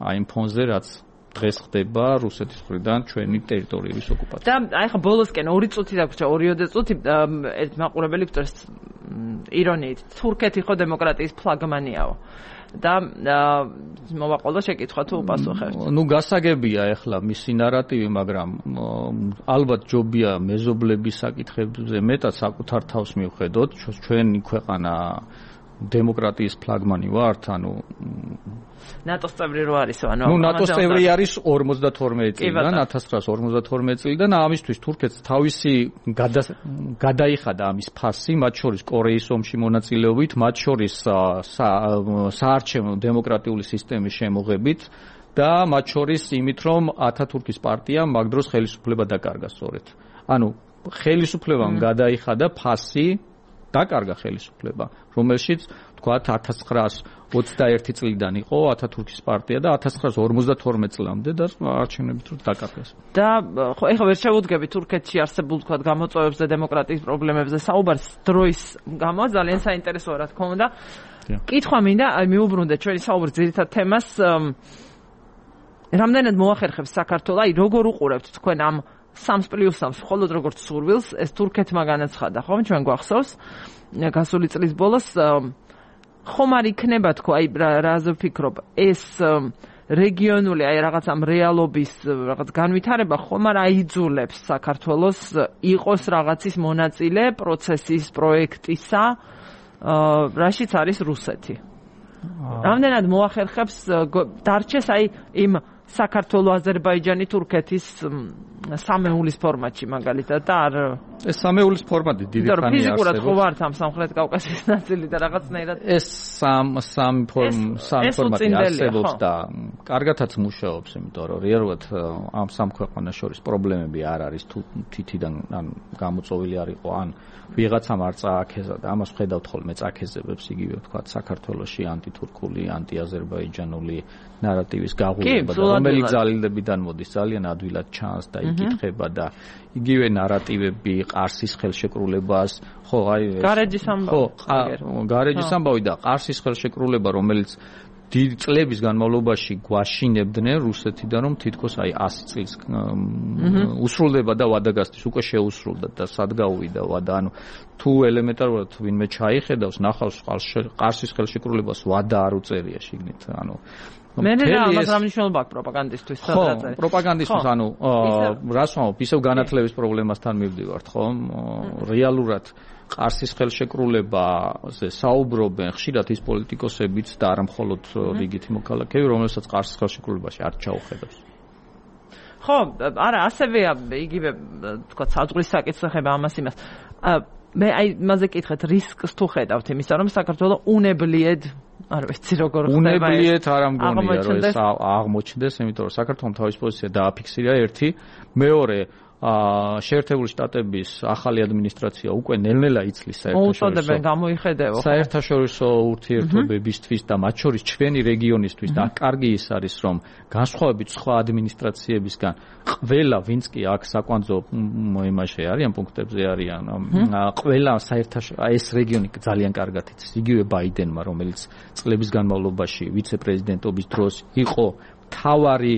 აი იმ ფონზე, რაც დღეს ხდება რუსეთის მხრიდან ჩვენი ტერიტორიების ოკუპაცია. და აი ხა ბოლოსკენ ორი წუთი დაგვრჩა, ორიოდე წუთი ერთ მაყურებელი გვწერს ირონიით, თურქეთი ხო დემოკრატიის ფლაგმანიაო. და მოვაყოლო შეკითხვა თუ უპასუხებთ. ნუ გასაგებია ახლა მისი ნარატივი, მაგრამ ალბათ ჯობია მეზობლების საკითხებზე მეტად საკუთარ თავს მივხედოთ, ჩვენი ქვეყანა დემოკრატიის ფლაგმანი ვართ, ანუ ნატოს წევრი რო არისო, ანუ ნუ ნატოს წევრი არის ორმოცდათორმეტი წლიდან, ათას ცხრაას ორმოცდათორმეტი წლიდან, ამისთვის თურქეთს თავისი გადაიხადა ამის ფასი, მათ შორის კორეის ომში მონაწილეობით, მათ შორის საარჩევნო დემოკრატიული სისტემის შემოღებით და მათ შორის იმით, რომ ათათურქის პარტიამ მაგ დროს ხელისუფლება დაკარგა სწორედ. ანუ ხელისუფლებამ გადაიხადა ფასი, დაკარგა ხელისუფლება, რომელშიც თქვათ ათას ცხრაას ოცდაერთი წლიდან იყო ათათურქის პარტია და ათას ცხრაას ორმოცდათორმეტი წლამდე და არჩევნებით რო დაკარგეს. და ხო, ეხლა ვერ შევუდგები თურქეთში არსებულ თქვათ გამოწვევებს და დემოკრატიის პრობლემებზე საუბარს დროის გამო ძალიან საინტერესოა რა თქმა უნდა. კითხვა მინდა, აი მიუბრუნდეთ ჩვენი საუბრის ძირითად თემას, რამდენად მოახერხებს საქართველოს, აი როგორ უყურებთ თქვენ ამ სამს პლუს სამს მხოლოდ როგორც სურვილს, ეს თურქეთმა განაცხადა, ხომ ჩვენ გვახსოვს გასული წლის ბოლოს, ხომ არ იქნება თქო, აი რაზე ვფიქრობ, ეს რეგიონული აი რაღაც ამ რეალობის რაღაც განვითარება ხომ არ აიძულებს საქართველოს იყოს რაღაცის მონაწილე პროცესის, პროექტისა, რაშიც არის რუსეთი. რამდენად მოახერხებს დარჩეს აი იმ საქართველოს, აზერბაიჯანი, თურქეთის სამეულის ფორმატში მაგალითად და არ ეს სამეულის ფორმატი დიდი ხანია არსებობს. ფიზიკურად ხო ვართ ამ სამხრეთ კავკასიის ნაწილი და რაღაცნაირად ეს სამ სამ სამ ფორმატი არსებობს და კარგათაც მუშაობს, იმიტომ რომ რეალურად ამ სამ ქვეყანას შორის პრობლემები არ არის თუ თითიდან ან გამოწვეული არ იყო ან ვიღაცამ არ წააქეზა და ამას ვხედავთ ხოლმე წაქეზებებს იგივე ვთქვათ საქართველოში ანტითურქული, ანტიაზერბაიჯანული ნარატივის გაღუება და რომელიც ძალილებიდან მოდის ძალიან ადვილად ჩანს და იკითხება და იგივე ნარატივები ყარსის ხელშეკრულებას, ხო, აი გარეჯის ამბავი. ხო, გარეჯის ამბავი და ყარსის ხელშეკრულება, რომელიც დიდი წლების განმავლობაში გვაშინებდნენ რუსეთიდან, რომ თითქოს აი ასი წლის უსრულდება და ვადაგასთვის უკვე შეუსრულდა და სად გაუვიდა ვადა, ანუ თუ ელემენტარულად ვინმე ჩაიხედავს, ნახავს ყარსის ხელშეკრულებას ვადა არ უწერია შიგნით, ანუ მე რა ამას რა მნიშვნელობა აქვს პროპაგანდისტვის სადაც ხო პროპაგანდისტვის ანუ რას ვამბობ ისევ განათლების პრობლემასთან მივდივართ ხო რეალურად ყარსის ხელშეკრულებაზე საუბრობენ ხშირად ის პოლიტიკოსებიც და არა მხოლოდ რიგითი მოქალაქეები რომელსაც ყარსის ხელშეკრულებაში არ ჩაუხედავს ხო არა ასევეა იგივე თქვა საზღვრის საკითხება ამას იმას მე აი მასე კითხეთ რისკს თუ ხედავთ იმისა რომ საქართველოს უნებლიეთ არ ვიცი როგორ ხდება უნებლიეთ არ ამგონია რომ ეს აღმოჩნდეს იმიტომ რომ საქართველოს თავის პოზიცია დააფიქსირა ერთი მეორე შეერთებული შტატების ახალი ადმინისტრაცია უკვე ნელ-ნელა იცლის საერთაშორისო გამოიხედეო საერთაშორისო ურთიერთობებისთვის და მათ შორის ჩვენი რეგიონისთვის და კარგი ის არის რომ განსხვავებით სხვა ადმინისტრაციებისგან ყველა ვინც კი აქ საკვანძო იმაში არიან პუნქტებზე არიან ყველა საერთაშორისო ეს რეგიონი ძალიან კარგად იცის იგივე ბაიდენმა რომელიც წლების განმავლობაში ვიცე-პრეზიდენტობის დროს იყო მთავარი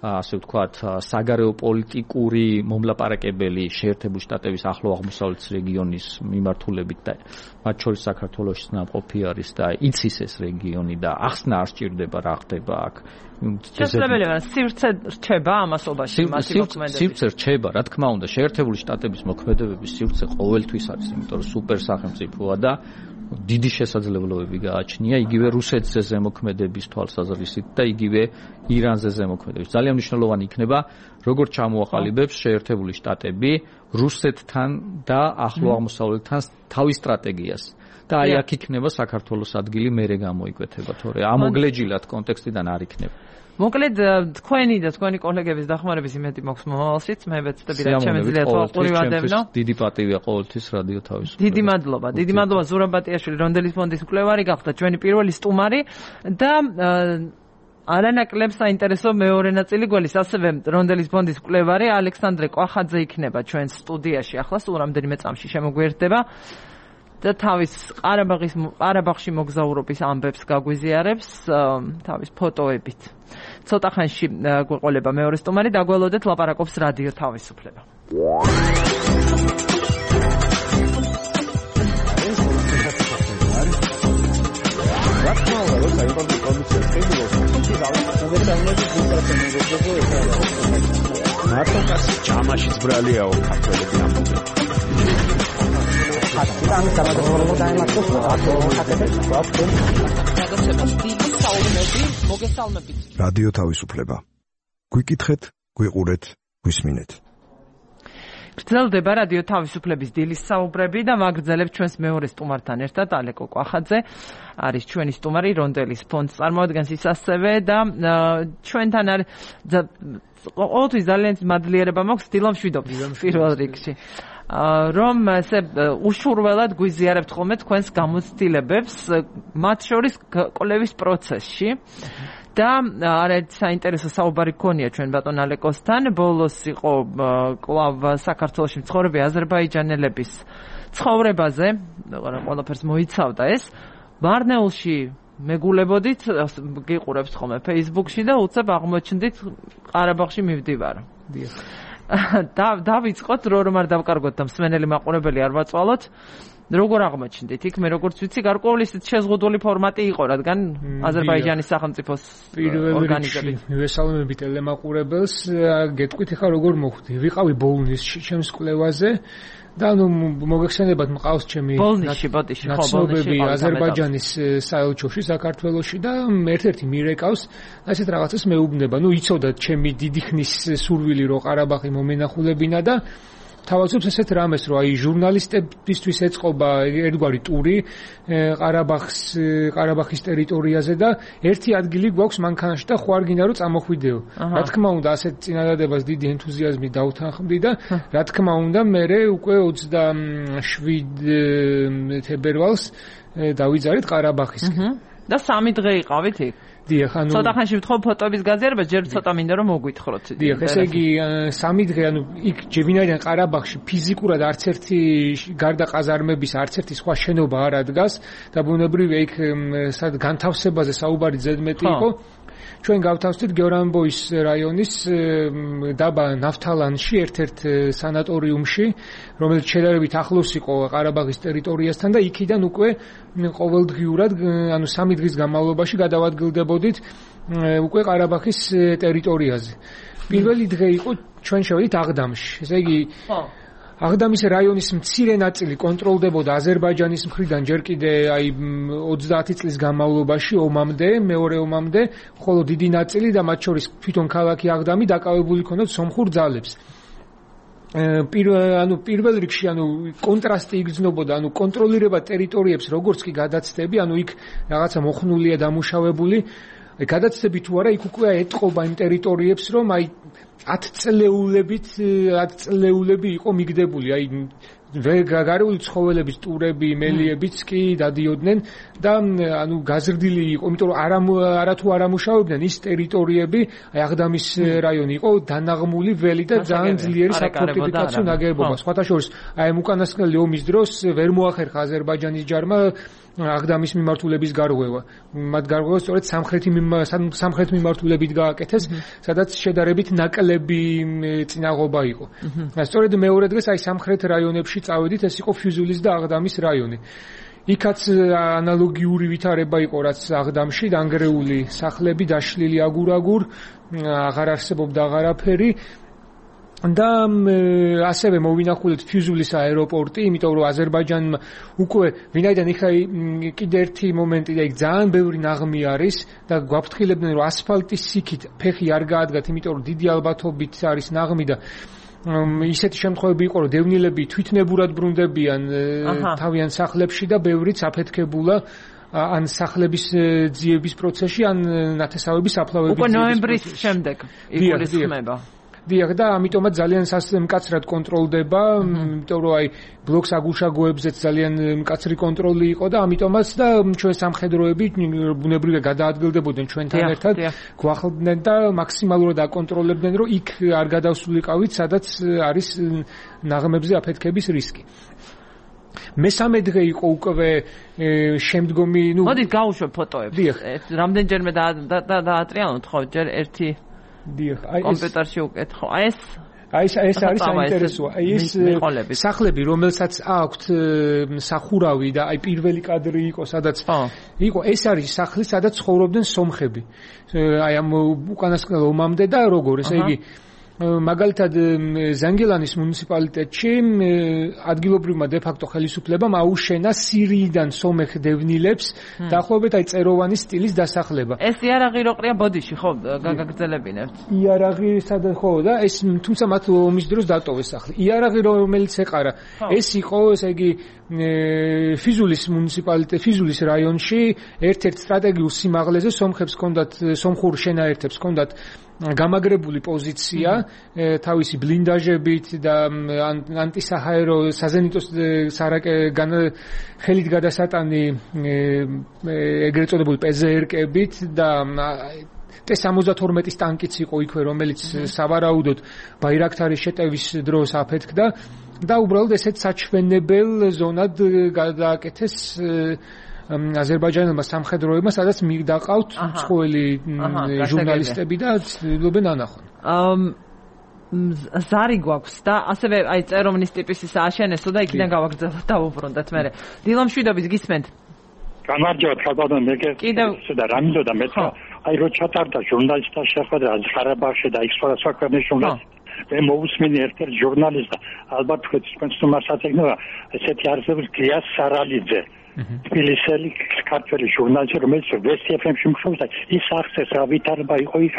ასე ვთქვათ, საგარეო პოლიტიკური მომლაპარაკებელი შეერთებული შტატების ახლო აღმოსავლეთის რეგიონის მიმართულებით და მათ შორის საქართველოში ნამყოფი არის და იცის ეს რეგიონი და ახსნა არ სჭირდება რა ხდება აქ. შესაძლებელია სივრცე რჩება ამასობაში მათი მოქმედებები. სივრცე რჩება, რა თქმა უნდა, შეერთებული შტატების მოქმედებების სივრცე ყოველთვის არის, იმიტომ რომ სუპერ სახელმწიფოა და დიდი შესაძლებლობები გააჩნია იგივე რუსეთზე ზემოქმედების თვალსაზრისით და იგივე ირანზე ზემოქმედების. ძალიან მნიშვნელოვანი იქნება, როგორ ჩამოაყალიბებს შეერთებული შტატები რუსეთთან და ახლო აღმოსავლეთთან თავის სტრატეგიას. და აი აქ იქნება საქართველოს ადგილი მერე გამოიკვეთება, თორე ამოგლეჯილად კონტექსტიდან არ იქნება. მოკლედ თქვენი და თქვენი კოლეგების დახმარების იმედი მაქვს მომავალშიც, მე ვეცდები რა შემეძლია თვალყური ვადევნო. დიდი პატივია ყოველთვის რადიო თავისუფლება. დიდი მადლობა, დიდი მადლობა ზურაბ ბატიაშვილი, რონდელის ფონდის მკვლევარი გახდა ჩვენი პირველი სტუმარი და არანაკლებ საინტერესო მეორე ნაწილი გველის, ასევე რონდელის ბონდის მკვლევარი ალექსანდრე კვახაძე იქნება ჩვენ სტუდიაში. ახლა სულ რამდენიმე წამში შემოგვიერთდება და თავის ყარაბაღის ყარაბაღში მოგზაურობის ამბებს გაგვიზიარებს თავის ფოტოებით. ცოტა ხანში გვეყოლება მეორე სტუმარი, დაგველოდეთ, ლაპარაკობს რადიო თავისუფლება. მარტო ჯამაში ძბრალიაო ქართველები ამბობენ. ხატიდან გამოგორებულ დაემართოს რადიო თავისუფლება. გვიკითხეთ, გვიყურეთ, გვისმინეთ. გრძელდება რადიო თავისუფლების დილის საუბრები და ვაგრძელებთ ჩვენს მეორე სტუმართან ერთად ალეკო კვახაძე არის ჩვენი სტუმარი რონდელის ფონდს წარმოადგენს ის ასევე და ჩვენთან არის ყოველთვის ძალიან მადლიერება მაქვს დილამ შვიდობის პირველ რიგში რომ ესე უშურველად გვიზიარებთ ხოლმე თქვენს გამოცდილებებს მათ შორის კვლევის პროცესში და არაერთ საინტერესო საუბარი გქონია ჩვენ ბატონ ალეკოსთან. ბოლოს იყო კვლავ საქართველოში მცხოვრები აზერბაიჯანელების ცხოვრებაზე, ყველაფერს მოიცავდა ეს. ვარნეულში მეგულებოდით, გიყურებთ ხოლმე Facebook-ში და უცებ აღმოჩნდით ყარაბაღში მივდივარ. და დავიწყოთ რო რომ არ დავკარგოთ და მსმენელი მაყურებელი არ ვაწვალოთ. როგორ აღმოჩნდით იქ მე როგორც ვიცი გარკვეული შეზღუდული ფორმატი იყო რადგან აზერბაიჯანის სახელმწიფოს ორგანიზებით მივესალმები ტელემაყურებელს გეტყვით ხა როგორ მოხვდი ვიყავი ბოლნისში ჩემს კვლევაზე და ნუ მოგეხსენებათ მყავს ჩემი ნაცნობები აზერბაიჯანის საელჩოში საქართველოში და ერთ-ერთი მირეკავს ასეთ რაღაცას მეუბნება ნუ იცოდათ ჩემი დიდი ხნის სურვილი რო ყარაბაღი მომენახულებინა და თავაზობს ესეთ რამეს რომ აი ჟურნალისტებისთვის ეწყობა ერთგვარი ტური ყარაბაღს ყარაბაღის ტერიტორიაზე და ერთი ადგილი გვაქვს მანქანაში და ხوار გინდა რომ წამოხვიდეო. რა თქმა უნდა ასეთ წინადადებას დიდი ენთუზიაზმი დავთანხმდი და რა თქმა უნდა მე უკვე ოცდაშვიდ თებერვალს დავიძარით ყარაბაღისკენ. და სამი დღე იყავით იქ? დიახ, ანუ ცოტა ხანში ვთხოვ ფოტოების გაზიარებას, ჯერ ცოტა მინდა რომ მოგვითხროთ. დიახ, ესე იგი სამი დღე, ანუ იქ ჯევინაიდან ყარაბაღში ფიზიკურად არც ერთი გარდა ყაზარმების არც ერთი სხვა შენობა არ ადგას და ბუნებრივია იქ სად განთავსებაზე საუბარი ზედმეტი იყო. ჩვენ გავთავსდით გეორამბოის რაიონის დაბა ნავთალანში ერთ-ერთ სანატორიუმში, რომელიც შედარებით ახლოს იყო ყარაბაღის ტერიტორიასთან და იქიდან უკვე ყოველდღიურად, ანუ სამი დღის განმავლობაში გადავადგილდებოდით უკვე ყარაბაღის ტერიტორიაზე. პირველი დღე იყო ჩვენ შევედით აღდამში. ესე იგი აღდამის რაიონის მცირე ნაწილი კონტროლდებოდა აზერბაიჯანის მხრიდან ჯერ კიდე აი ოცდაათი წლის განმავლობაში ომამდე, მეორე ომამდე, ხოლო დიდი ნაწილი და მათ შორის თვითონ ქალაქი აღდამი დაკავებული ჰქონდათ სომხურ ძალებს. ანუ პირველ რიგში ანუ კონტრასტი იგრძნობოდა, ანუ კონტროლირება ტერიტორიებს როგორც კი გადაცდები, ანუ იქ რაღაცა მოხნულია დამუშავებული, გადაცდები თუ არა იქ უკვე ეტყობა იმ ტერიტორიებს, რომ აი ათ წლეულებით ათ წლეულები იყო მიგდებული, აი გარეული ცხოველების ტურები, მელიებიც კი დადიოდნენ და ანუ გაზრდილი იყო, იმიტომ რომ არა არა თუ არ ამუშავებდნენ ის ტერიტორიები, აი აღდამის რაიონი იყო დანაღმული ველი და ძალიან ძლიერი საფორტიფიკაციო ნაგებობა. სხვათა შორის აი უკანასკნელი ომის დროს ვერ მოახერხა აზერბაიჯანის ჯარმა აღდამის მიმართულების გარღვევა. მათ გარღვევა სწორედ სამხრეთი სამხრეთ მიმართულებით გააკეთეს, სადაც შედარებით ნაკლები წინაღობა იყო. სწორედ მეორე დღეს აი სამხრეთ რაიონებში წავედით, ეს იყო ფიუზულის და აღდამის რაიონი. იქაც ანალოგიური ვითარება იყო, რაც აღდამში დანგრეული სახლები, დაშლილი აგურ-აგურ, აღარ არსებობდა აღარაფერი. და ასევე მოვინახულეთ ფიუზულის აეროპორტი, იმიტომ რომ აზერბაიჯანმა უკვე ვინაიდან იქ კიდე ერთი მომენტი და იქ ძალიან ბევრი ნაღმი არის და გვაფრთხილებდნენ რომ ასფალტის სიქით ფეხი არ გაადგათ, იმიტომ რომ დიდი ალბათობით არის ნაღმი და ისეთი შემთხვევები იყო რომ დევნილები თვითნებურად ბრუნდებიან თავიანთ სახლებში და ბევრიც აფეთქებულა ან სახლების ძიების პროცესში, ან ნათესავების აფლავების უკვე ნოემბრის შემდეგ იგულისხმება. დიახ და ამიტომაც ძალიან მკაცრად კონტროლდება, იმიტომ რომ აი ბლოკს აგუშაგოებზეც ძალიან მკაცრი კონტროლი იყო და ამიტომაც და ჩვენ სამხედროები ბუნებრივია გადაადგილდებოდნენ ჩვენთან ერთად, გვახლდნენ და მაქსიმალურად აკონტროლებდნენ, რომ იქ არ გადავსულიყავით, სადაც არის ნაღმებზე აფეთქების რისკი. მესამე დღე იყო უკვე შემდგომი, ნუ მოდით გავუშვებ ფოტოებს. რამდენჯერმე დაატრიალოთ ხო, ჯერ ერთი დიახ, აი ეს კომპიუტერში უკეთო. აი ეს აი ეს ეს არის საინტერესოა. აი ეს სახლები, რომელსაც აქვთ სახურავი და აი პირველი კადრი იყო, სადაც იყო ეს არის სახლი, სადაც ცხოვრობდნენ სომხები. აი ამ უკანასკნელ ომამდე და როგორ, ესე იგი მაგალითად ზანგილანის მუნიციპალიტეტში ადგილობრივმა დე-ფაქტო ხელისუფლებამ აუშენა სირიიდან სომეხ დევნილებს დაახლოებით აი წეროვანი სტილის დასახლება. ეს იარაღი რო ყრია ბოდიში ხო გაგაგრძელებინებთ? იარაღი სადაც ხო და ეს თუმცა მათ ომის დროს დატოვეს სახლი. იარაღი რომელიც ეყარა ეს იყო ესე იგი ფიზულის მუნიციპალიტეტ ფიზულის რაიონში ერთ-ერთ სტრატეგიულ სიმაღლეზე სომხებს ჰქონდათ სომხურ შენაერთებს ჰქონდათ გამაგრებული პოზიცია თავისი ბლინდაჟებით და ანტისაჰაერო საზენიტოს სარაკე ხელით გადასატანი ეგრეთ წოდებული პე ზე ერ-კებით და ტე სამოცდათორმეტის ტანკიც იყო იქვე, რომელიც სავარაუდოდ ბაირაქტარის შეტევის დროს აფეთქდა და უბრალოდ ესეთ საჩვენებელ ზონად გადააკეთეს აზერბაიჯანელმა სამხედროებმა, სადაც მიდაყავთ მსხვილი ჟურნალისტები და ცდილობენ ანახონ. ზარი გვაქვს და ასევე აი წეროვნის ტიპის ის აშენესო და იქიდან გავაგრძელოთ და უბრუნდეთ მე. დილო მშვიდობის გისმენთ? გამარჯობა ხალბადო მეგე და რამიდო და მე აი რო ჩატარდა ჟურნალისტთა შეხვედრა ყარაბაღში და იქ სხვადასხვა ქვეყნის ჟურნალისტები მე მოусმინე ერთ-ერთ ჟურნალისტს ალბათ თქვენს თომასაც ეგნება ესეთი არსებობს გიას სარალიძე თბილისელი ქართველი ჟურნალისტი რომელიც ვესტი ეფ ემში მუშაობდა ის ახსენს რა ვითარება იყო იქ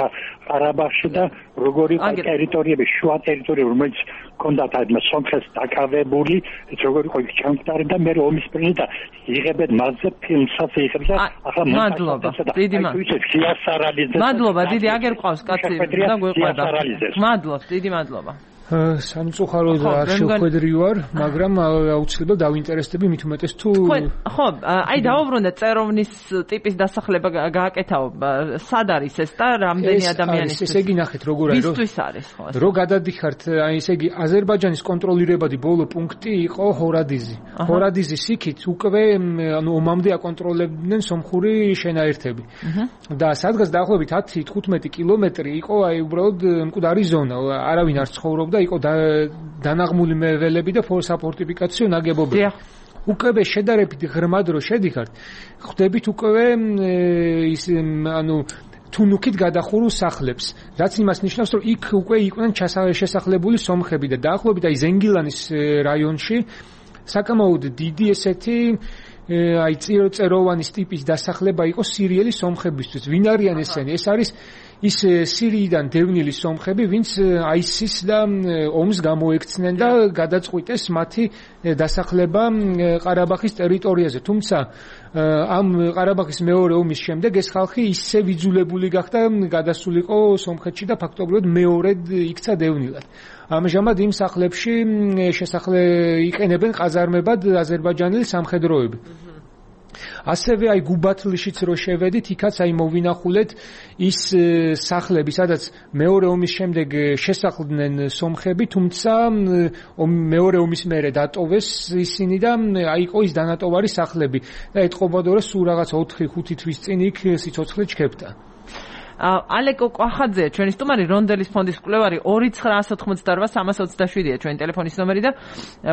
ყარაბაღში და როგორი ტერიტორიები შუა ტერიტორიები რომელიც ჰქონდათ აი სომხებს დაკავებული როგორი იყო იქ ჩამდგარი და მე ომის პრინციპი და იღებენ მასზე ფილმსაც იღებდა ახლა მადლობა დიდი მადლობა მადლობა დიდი აგერ ყავს კაცი და გვეყვება მადლობს დიდი მადლობა სამწუხაროდ არ შევხვედრი ვარ, მაგრამ აუცილებლად დავინტერესდები მით უმეტეს თუ ხო, აი დაუბრუნდეთ წეროვნის ტიპის დასახლება გააკეთაო. სად არის ეს და რამდენი ადამიანის? ესე იგი ნახეთ როგორ არის. ვისთვის არის ხო? რო გადადიხართ, აი ესე იგი აზერბაიჯანის კონტროლირებადი ბოლო პუნქტი იყო ჰორადიზი. ჰორადიზის იქით უკვე ანუ ომამდე აკონტროლებდნენ სომხური შენაერთები. და სადღაც დაახლოებით ათი თხუთმეტი კილომეტრი იყო აი უბრალოდ მკვდარი ზონა, არავინ არ ცხოვრობდა იყო დანაღმული მეველები და საფორტიფიკაციო ნაგებობები. უკვე შედარებით ღრმად რო შედიხართ, ხვდებით უკვე ის ანუ თუნუქით გადახურულ სახლებს, რაც იმას ნიშნავს, რომ იქ უკვე იყვნენ შესახლებული სომხები და დაახლოებით აი ზენგილანის რაიონში საკამაოდ დიდი ესეთი აი წეროვანის ტიპის დასახლება იყო სირიელი სომხებისთვის. ვინ არიან ესენი? ეს არის ის სირიიდან დევნილი სომხები, ვინც აისის და ომს გამოექცნენ და გადაწყვიტეს მათი დასახლება ყარაბაღის ტერიტორიაზე. თუმცა ამ ყარაბაღის მეორე ომის შემდეგ ეს ხალხი ისე ვიძულებული გახდა გადასულიყო სომხეთში და ფაქტობრივად მეორედ იქცა დევნილად. ამჟამად იმ სახლებში შესახლე იყენებენ ყაზარმებად აზერბაიჯანელი სამხედროები. ასევე აი გუბათლიშიც რო შევედით, იქაც აი მოვინახულეთ ის სახლები, სადაც მეორე ომის შემდეგ შესახლდნენ სომხები, თუმცა მეორე ომის მერე დატოვეს ისინი და აი იყო ის დანატოვარი სახლები და ეთყობოდა რომ სულ რაღაც ოთხი ხუთი თვის წინ იქ სიცოცხლე ჩქებდა. ალეკო კვახაძე, ჩვენი სტუმარი რონდელის ფონდის კვლევარი ორი ცხრა ათოთხმოცდაოთხ სამას ოცდაშვიდია ჩვენი ტელეფონის ნომერი და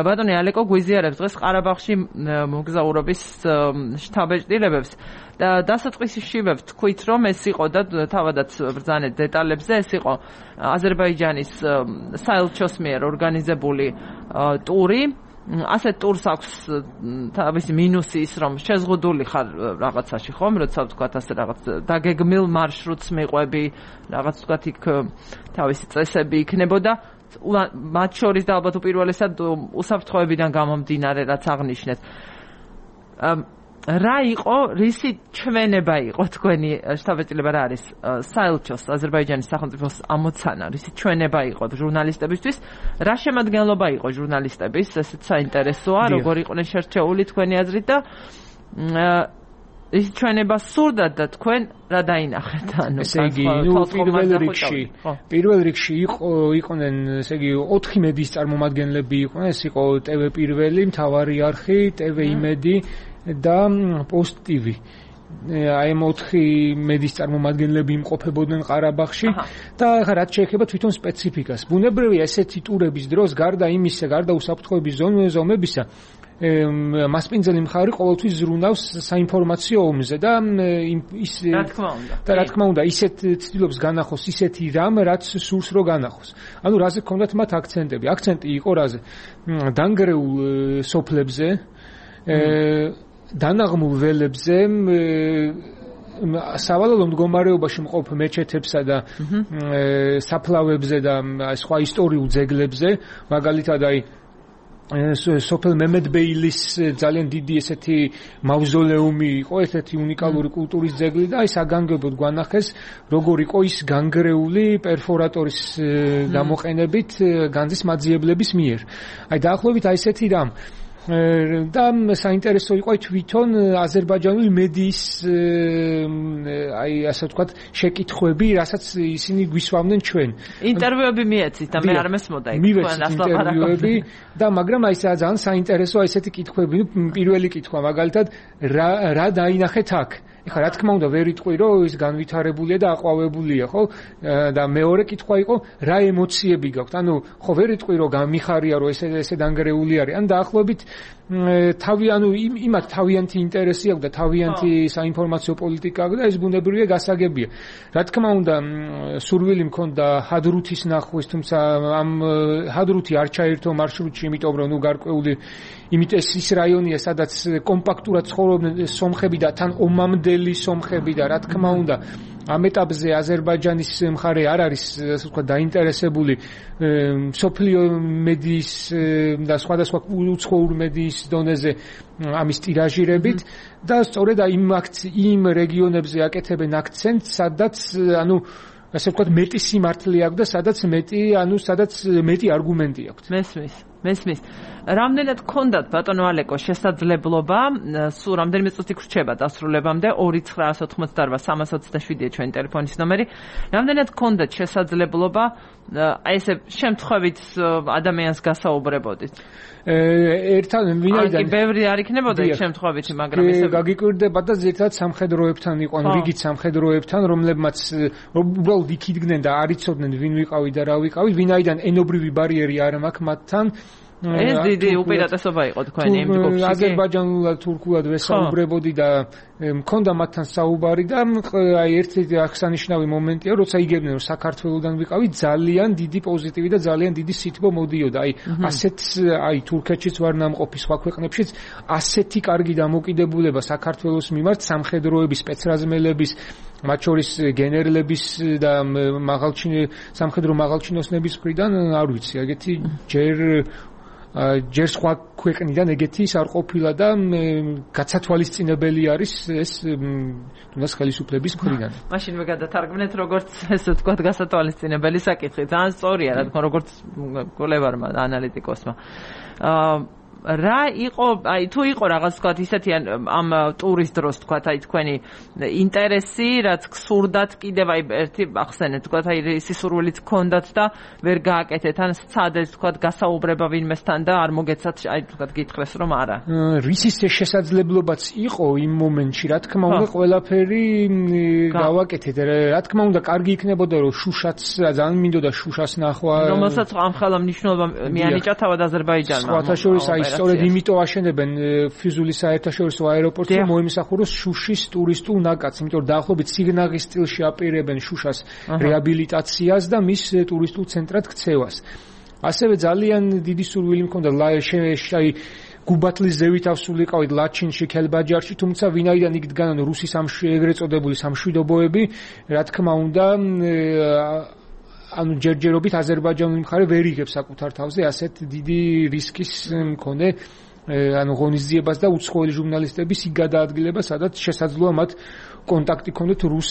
ბატონი ალეკო გვიზიარებს დღეს ყარაბაღში მოგზაურობის შტაბ-ჭრილებებს და დასაწყისშივე ვთქვით რომ ეს იყო და თავადაც ბრძანეთ დეტალებზე ეს იყო აზერბაიჯანის საელჩოს მიერ ორგანიზებული ტური ასეთ ტურს აქვს თავისი მინუსი ის რომ შეზღუდული ხარ რაღაცაში ხომ როცა ვთქვათ ასე რაღაც დაგეგმილ მარშრუტს მიყვები რაღაც ვთქვათ იქ თავისი წესები იქნებოდა მათ შორის და ალბათ უპირველესად უსაფრთხოებიდან გამომდინარე რაც აღნიშნეთ რა იყო, რისი ჩვენება იყო თქვენი შტაბ-ბეჭდილება რა არის? საელჩოს, აზერბაიჯანის სახელმწიფოს ამოცანა, რისი ჩვენება იყო ჟურნალისტებისთვის? რა შემადგენლობა იყო ჟურნალისტების? ესეც საინტერესოა, როგორ იყვნენ შერჩეული თქვენი აზრით და ის ჩვენება სურდათ და თქვენ რა დაინახეთ? ანუ ესე იგი, ნუ პირველ რიგში, პირველ რიგში იყო იყვნენ, ესე იგი, ოთხი მედიის წარმომადგენლები იყვნენ, ეს იყო ტე ვე პირველი, მთავარი არხი, ტე ვე იმედი და პოსტ ტი ვი. აი ამ ოთხი მედიის წარმომადგენლები იმყოფებოდნენ ყარაბაღში და ახლა რაც შეეხება თვითონ სპეციფიკას. ბუნებრივია ესეთი ტურების დროს გარდა იმისა, გარდა უსაფრთხოების ზომებისა, მასპინძელი მხარი ყოველთვის ზრუნავს საინფორმაციო ომზე და ის რა თქმა უნდა და რა თქმა უნდა ისეთ ცდილობს განახოს ისეთი რამ რაც სურს რო განახოს. ანუ რაზე გქონდათ მათ აქცენტები? აქცენტი იყო რაზე? დანგრეულ სოფლებზე, დანაღმულ ველებზე, სავალალო მდგომარეობაში მყოფ მეჩეთებსა და საფლავებზე და სხვა ისტორიულ ძეგლებზე, მაგალითად აი სოფელ მემედბეილის ძალიან დიდი ესეთი მავზოლეუმი იყო, ესეთი უნიკალური კულტურის ძეგლი და აი საგანგებოდ გვანახეს როგორ იყო ის განგრეული პერფორატორის გამოყენებით განძის მაძიებლების მიერ. აი დაახლოებით აი ესეთი რამ და საინტერესო იყო თვითონ აზერბაიჯანული მედიის აი ასე ვთქვათ შეკითხვები, რასაც ისინი გვისვამდნენ ჩვენ. ინტერვიუები მიეცით და მე არ მესმოდა იქ თქვენ ინტერვიუები და მაგრამ აი ძალიან საინტერესოა ესეთი კითხვები. ნუ პირველი კითხვა მაგალითად რა რა დაინახეთ აქ? ეხლა რა თქმა უნდა ვერ იტყვი რომ ის განვითარებულია და აყვავებულია, ხო? და მეორე კითხვა იყო რა ემოციები გაქვთ? ანუ ხო ვერ იტყვი რომ გამიხარია რომ ესე ესე დანგრეული არის. ან დაახლოებით თავი ანუ იმათ თავიანთი ინტერესი აქვს და თავიანთი საინფორმაციო პოლიტიკა აქვს და ეს ბუნებრივია გასაგებია. რა თქმა უნდა სურვილი მქონდა ჰადრუთის ნახვის, თუმცა ამ ჰადრუთი არ ჩაერთო მარშრუტში, იმიტომ რომ ნუ გარკვეული იმიტომ ეს ის რაიონია, სადაც კომპაქტურად ცხოვრობდნენ სომხები და თან ომამდელი სომხები და რა თქმა უნდა ამ ეტაპზე აზერბაიჯანის მხარე არ არის ასე ვთქვათ დაინტერესებული სოფლიო მედიის და სხვადასხვა უცხოურ მედიის დონეზე ამის ტირაჟირებით და სწორედ იმ იმ რეგიონებზე აკეთებენ აქცენტს, სადაც ანუ ასე ვთქვათ მეტი სიმართლე აქვს და სადაც მეტი ანუ სადაც მეტი არგუმენტი აქვს. მესმის მესმის. რამდენად გქონდათ ბატონო ალეკო შესაძლებლობა სულ რამდენიმე წუთი გრჩება დასრულებამდე ორი ცხრა ოცდაოთხმოცდაორვა სამას ოცდაშვიდია ჩვენი ტელეფონის ნომერი. რამდენად გქონდათ შესაძლებლობა აი ესე შემთხვევით ადამიანს გასაუბრებოდით? ერთად ვინაიდან აი ბევრი არ იქნებოდა იქ შემთხვევითი, მაგრამ ესე გაგიკვირდება და ზედაც სამხედროებთან იყვნენ, რიგით სამხედროებთან, რომლებმაც უბრალოდ იქ იდგნენ და არ იცოდნენ ვინ ვიყავი და რა ვიყავი, ვინაიდან ენობრივი ბარიერი არ მაქვს მათთან. ეს დიდი უპირატესობა იყო თქვენი იმ ჯგუფში. აზერბაიჯანულად, თურქულად ვესაუბრებოდი და მქონდა მათთან საუბარი და აი ერთ-ერთი აღსანიშნავი მომენტია, როცა იგებდნენ რომ საქართველოსდან ვიყავი, ძალიან დიდი პოზიტივი და ძალიან დიდი სითბო მოდიოდა. აი ასეთ აი თურქეთშიც ვარ ნამყოფი, სხვა ქვეყნებშიც ასეთი კარგი დამოკიდებულება საქართველოს მიმართ სამხედროების, სპეცრაზმელების, მათ შორის გენერლების და მაღალჩინო სამხედრო მაღალჩინოსნების მხრიდან არ ვიცი, ეგეთი ჯერ ჯერ სხვა ქვეყნიდან ეგეთი ის არ ყოფილა და გაცათვალისწინებელი არის ეს თუნდაც ხელისუფლების მხრიდან. მაშინ მე გადათარგმნეთ როგორც ესე ვთქვათ გასათვალისწინებელი საკითხი. ძალიან სწორია რა თქმა როგორც კოლევარმა ანალიტიკოსმა. აა რა იყო, აი თუ იყო რაღაც ვთქვათ ისეთი ამ ტურის დროს ვთქვათ აი თქვენი ინტერესი, რაც გსურდათ კიდევ აი ერთი ახსენეთ ვთქვათ აი სისურვილიც გქონდათ და ვერ გააკეთეთ ან სცადეს ვთქვათ გასაუბრება ვინმესთან და არ მოგეცათ აი ვთქვათ გითხრეს რომ არა. რისის შესაძლებლობაც იყო იმ მომენტში, რა თქმა უნდა ყველაფერი გავაკეთეთ. რა თქმა უნდა კარგი იქნებოდა რომ შუშაც ძალიან მინდოდა შუშას ნახვა. რომელსაც ამ ხელა მნიშვნელობა მიანიჭა თავად აზერბაიჯანმა. სხვათა შორის აი სწორედ იმიტომ აშენებენ ფიზულის საერთაშორისო აეროპორტს, რომ მოიმსახუროს შუშის ტურისტულ ნაკადს, იმიტომ რომ დაახლოებით სიგნაღის სტილში აპირებენ შუშას რეაბილიტაციას და მის ტურისტულ ცენტრად ქცევას. ასევე ძალიან დიდი სურვილი მქონდა აი გუბათლის ზევით ავსულიყავით ლაჩინში, ქელბაჯარში, თუმცა ვინაიდან იქ დგანან რუსი ეგრეთ წოდებული სამშვიდობოები, რა თქმა უნდა ანუ ჯერჯერობით აზერბაიჯანული მხარე ვერ იღებს საკუთარ თავზე ასეთ დიდი რისკის მქონე ანუ ღონისძიებას და უცხოელი ჟურნალისტების იქ გადაადგილება, სადაც შესაძლოა მათ კონტაქტი ქონდეთ რუს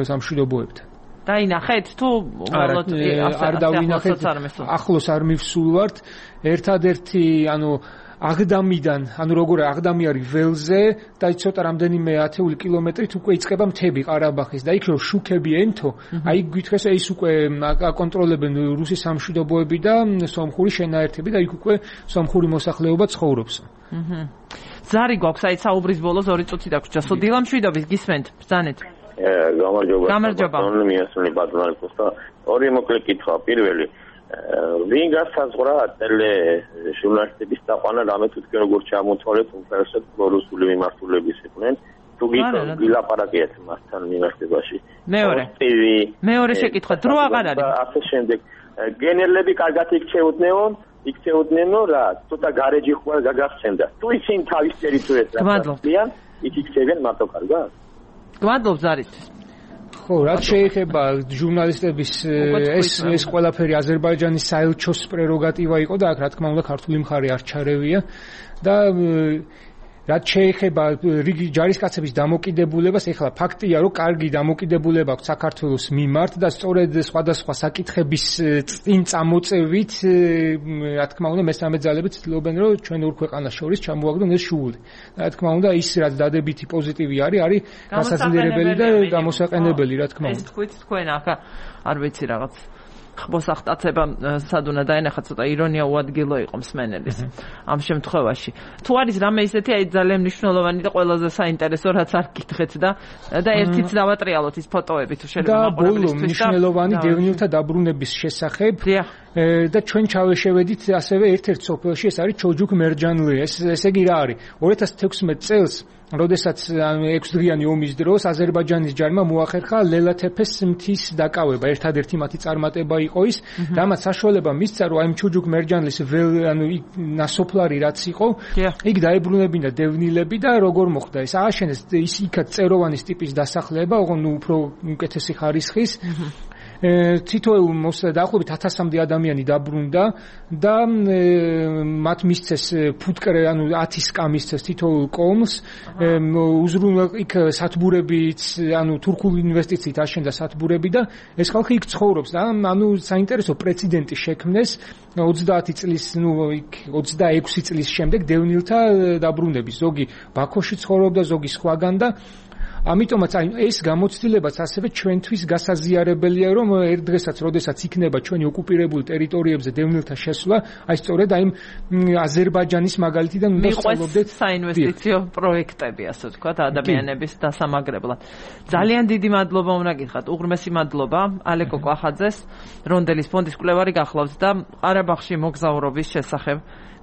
სამშვიდობოებთან. დაინახეთ თუ უბრალოდ არ დავინახეთ, ახლოს არ მივსულვართ. ერთადერთი ანუ აღდამიდან, ანუ როგორ აღდამი არის ველზე და ცოტა რამდენიმე ათეული კილომეტრით უკვე იწყება მთები ყარაბაღის და იქ რომ შუქები ენთო, აი გითხრეს ეს უკვე აკონტროლებენ რუსის სამშვიდობოები და სომხური შენაერთები და იქ უკვე სომხური მოსახლეობა ცხოვრობს. აჰა. ზარი გვაქვს აი საუბრის ბოლოს ორი წუთი დაგვრჩა. სოდილა მშვიდობის გისმენთ, ბრძანეთ. გამარჯობა. გამარჯობა. მიესწრები პატრონიკოს და ორი მოკლე კითხვა. პირველი ვინ გასაზღვრა ტელე ჟურნალისტების დაყვანა რამე თვითონ როგორ ჩამოთვალეთ უმთავრესად პრორუსული მიმართულების იყვნენ თუ გილაპარაკეთ მასთან მიმართებაში მეორე მეორე შეკითხვა დრო აღარ არის ასე შემდეგ გენერლები კარგად იქცეოდნენ იქცეოდნენო რა ცოტა გარეჯი ხوار გაგახსენდა თუ ისინი თავის ტერიტორიაზე რაციან იქ იქცევენ მარტო კარგად გმადლობ ზარისთვის ხო, რაც შეეხება ჟურნალისტების ეს ეს ყველაფერი აზერბაიჯანის საელჩოს პრეროგატივა იყო და აქ რა თქმა უნდა ქართული მხარე არ ჩარევია და რაც შეეხება რიგი ჯარისკაცების დამოკიდებულებას, ეხლა ფაქტია, რომ კარგი დამოკიდებულება აქვს საქართველოს მიმართ და სწორედ სხვადასხვა საკითხების წინ წამოწევით, რა თქმა უნდა, მესამე ძალებით ცდილობენ, რომ ჩვენ ორ ქვეყანას შორის ჩამოაგდონ ეს შუული. რა თქმა უნდა, ის რაც დადებითი პოზიტივი არის, არის გასაძლიერებელი და გამოსაყენებელი, რა თქმა უნდა. ეს თქვით თქვენ ახ არ ვიცი რაღაც ხმოსახტაცება სადუნა დაენახა ცოტა ირონია უადგილო იყო მსმენელის ამ შემთხვევაში. თუ არის რამე ისეთი აი ძალიან მნიშვნელოვანი და ყველაზე საინტერესო რაც არ გითხეთ და და ერთიც დავატრიალოთ ის ფოტოები თუ შეიძლება მაყურებლისთვის და მნიშვნელოვანი დევნილთა დაბრუნების შესახებ და ჩვენ ჩავეშევედით ასევე ერთ-ერთ სოფელში ეს არის ჩოჯუკ მერჯანლი. ეს ესე იგი რა არის? ორი ათას თექვსმეტ წელს როდესაც ექვსდღიანი ომის დროს აზერბაიჯანის ჯარმა მოახერხა ლელათეფეს მთის დაკავება, ერთადერთი მათი წარმატება იყო ის, რამაც საშუალება მისცა, რომ აი ჩოჯუკ მერჯანლის ანუ ნასოფლარი რაც იყო, იქ დაებრუნებინა დევნილები და როგორ მოხდა ეს? ააშენეს ის იქაც წეროვანის ტიპის დასახლება, ოღონდ უფრო უკეთესი ხარისხის თითოეულ დაახლოებით ათასამდე ადამიანი დაბრუნდა და მათ მისცეს ფუტკრე, ანუ ათი სკა მისცეს თითოეულ კომს, უზრუნვა იქ სათბურებიც, ანუ თურქული ინვესტიციით აშენდა სათბურები და ეს ხალხი იქ ცხოვრობს და ანუ საინტერესო პრეცედენტი შექმნეს ოცდაათი წლის, ნუ იქ ოცდაექვსი წლის შემდეგ დევნილთა დაბრუნების. ზოგი ბაქოში ცხოვრობდა, ზოგი სხვაგან და ამიტომაც აი ეს გამოცდილებაც ასევე ჩვენთვის გასაზიარებელია, რომ ერთ დღესაც, როდესაც იქნება ჩვენი ოკუპირებული ტერიტორიებზე დევნილთა შესვლა, აი სწორედ აი აზერბაიჯანის მაგალითიდან უნდა სწავლობდეთ საინვესტიციო პროექტები, ასე ვთქვათ, ადამიანების დასამაგრებლად. ძალიან დიდი მადლობა უნდა გითხრათ, უღრმესი მადლობა ალეკო კვახაძეს, რონდელის ფონდის კვლევარი გახლავთ და ყარაბაღში მოგზაურობის შესახებ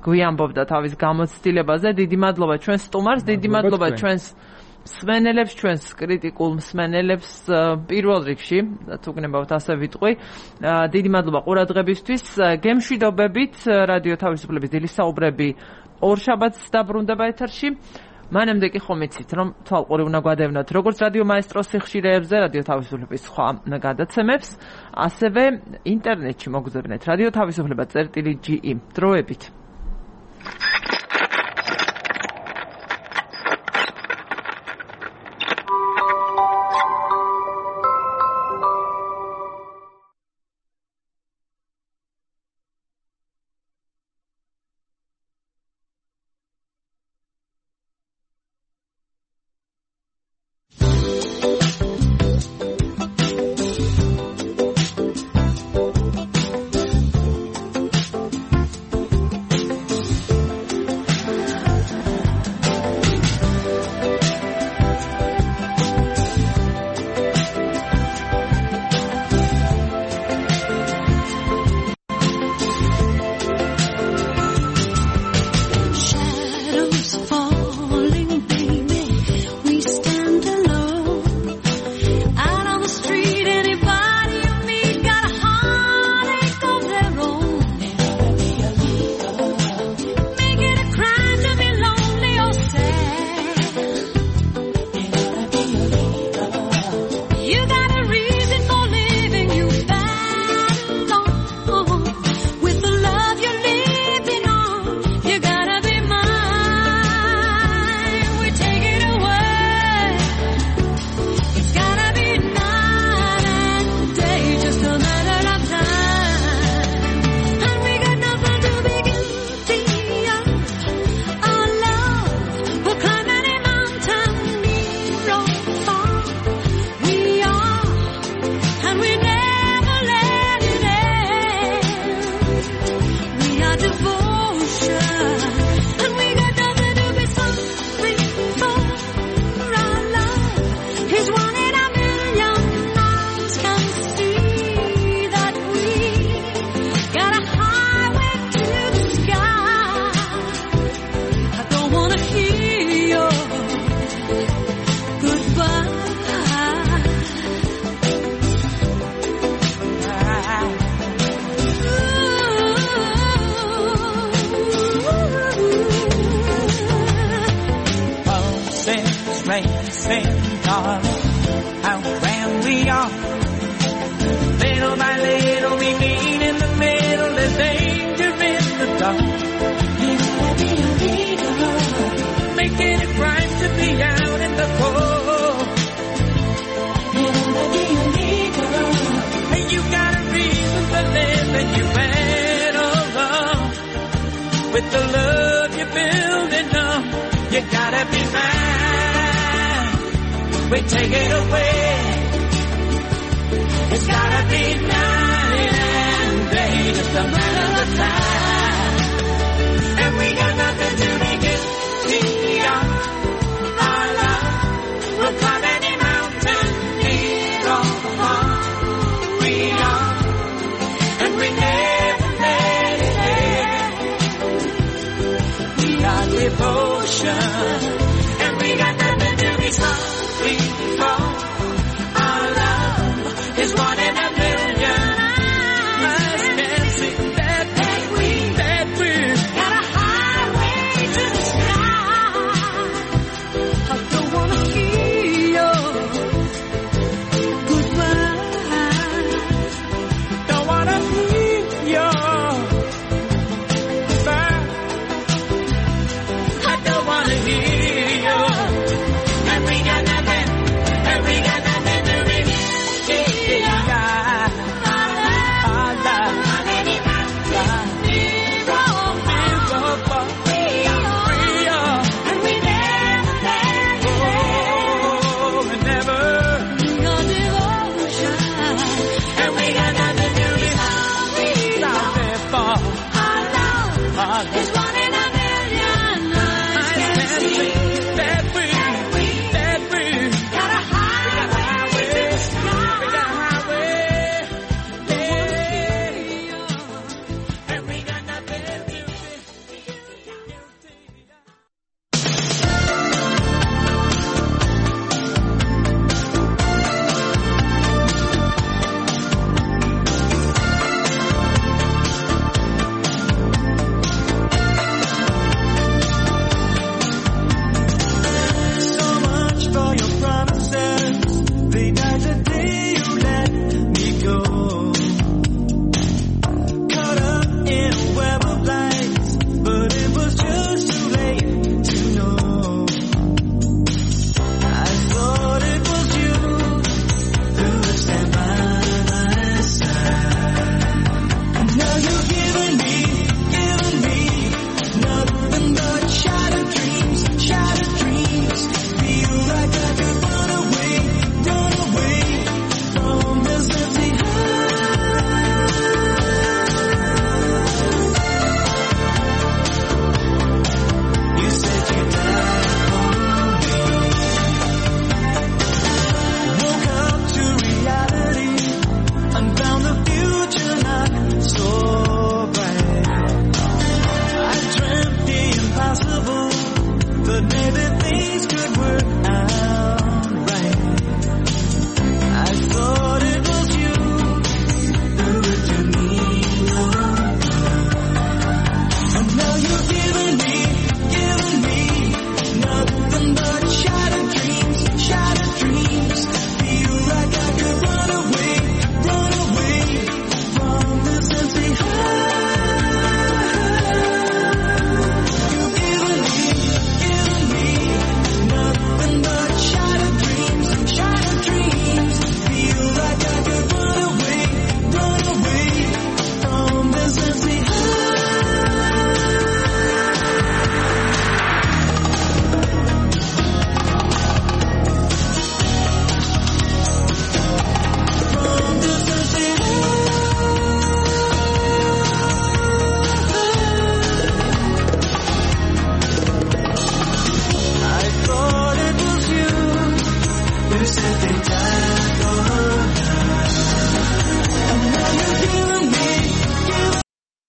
გვიამბობდა თავის გამოცდილებაზე. დიდი მადლობა ჩვენს სტუმარს, დიდი მადლობა ჩვენს მსმენელებს, ჩვენს კრიტიკულ მსმენელებს პირველ რიგში, თუ გნებავთ ასე ვიტყვი. დიდი მადლობა ყურადღებისთვის. გემშვიდობებით რადიო თავისუფლების დილის საუბრები ორშაბათს დაბრუნდება ეთერში. მანამდე კი ხომ იცით, რომ თვალყური უნდა გვადევნოთ როგორც რადიო მაესტროს სიხშირეებზე, რადიო თავისუფლების სხვა გადაცემებს, ასევე ინტერნეტში მოგზავნეთ რადიო თავისუფლება წერტილი ჯი ი. დროებით. place in darling, how grand we are. Little by little we meet in the middle, there's danger in the dark. Making it right to be out in the cold. And you got a reason to live and you better run. With the love you're building up, you gotta be mine. We take it away. It's gotta be night and day, just a matter of time. And we got nothing to make it beyond our love. We'll climb any mountain, near or far. We are, and we never let it end. We are devotion.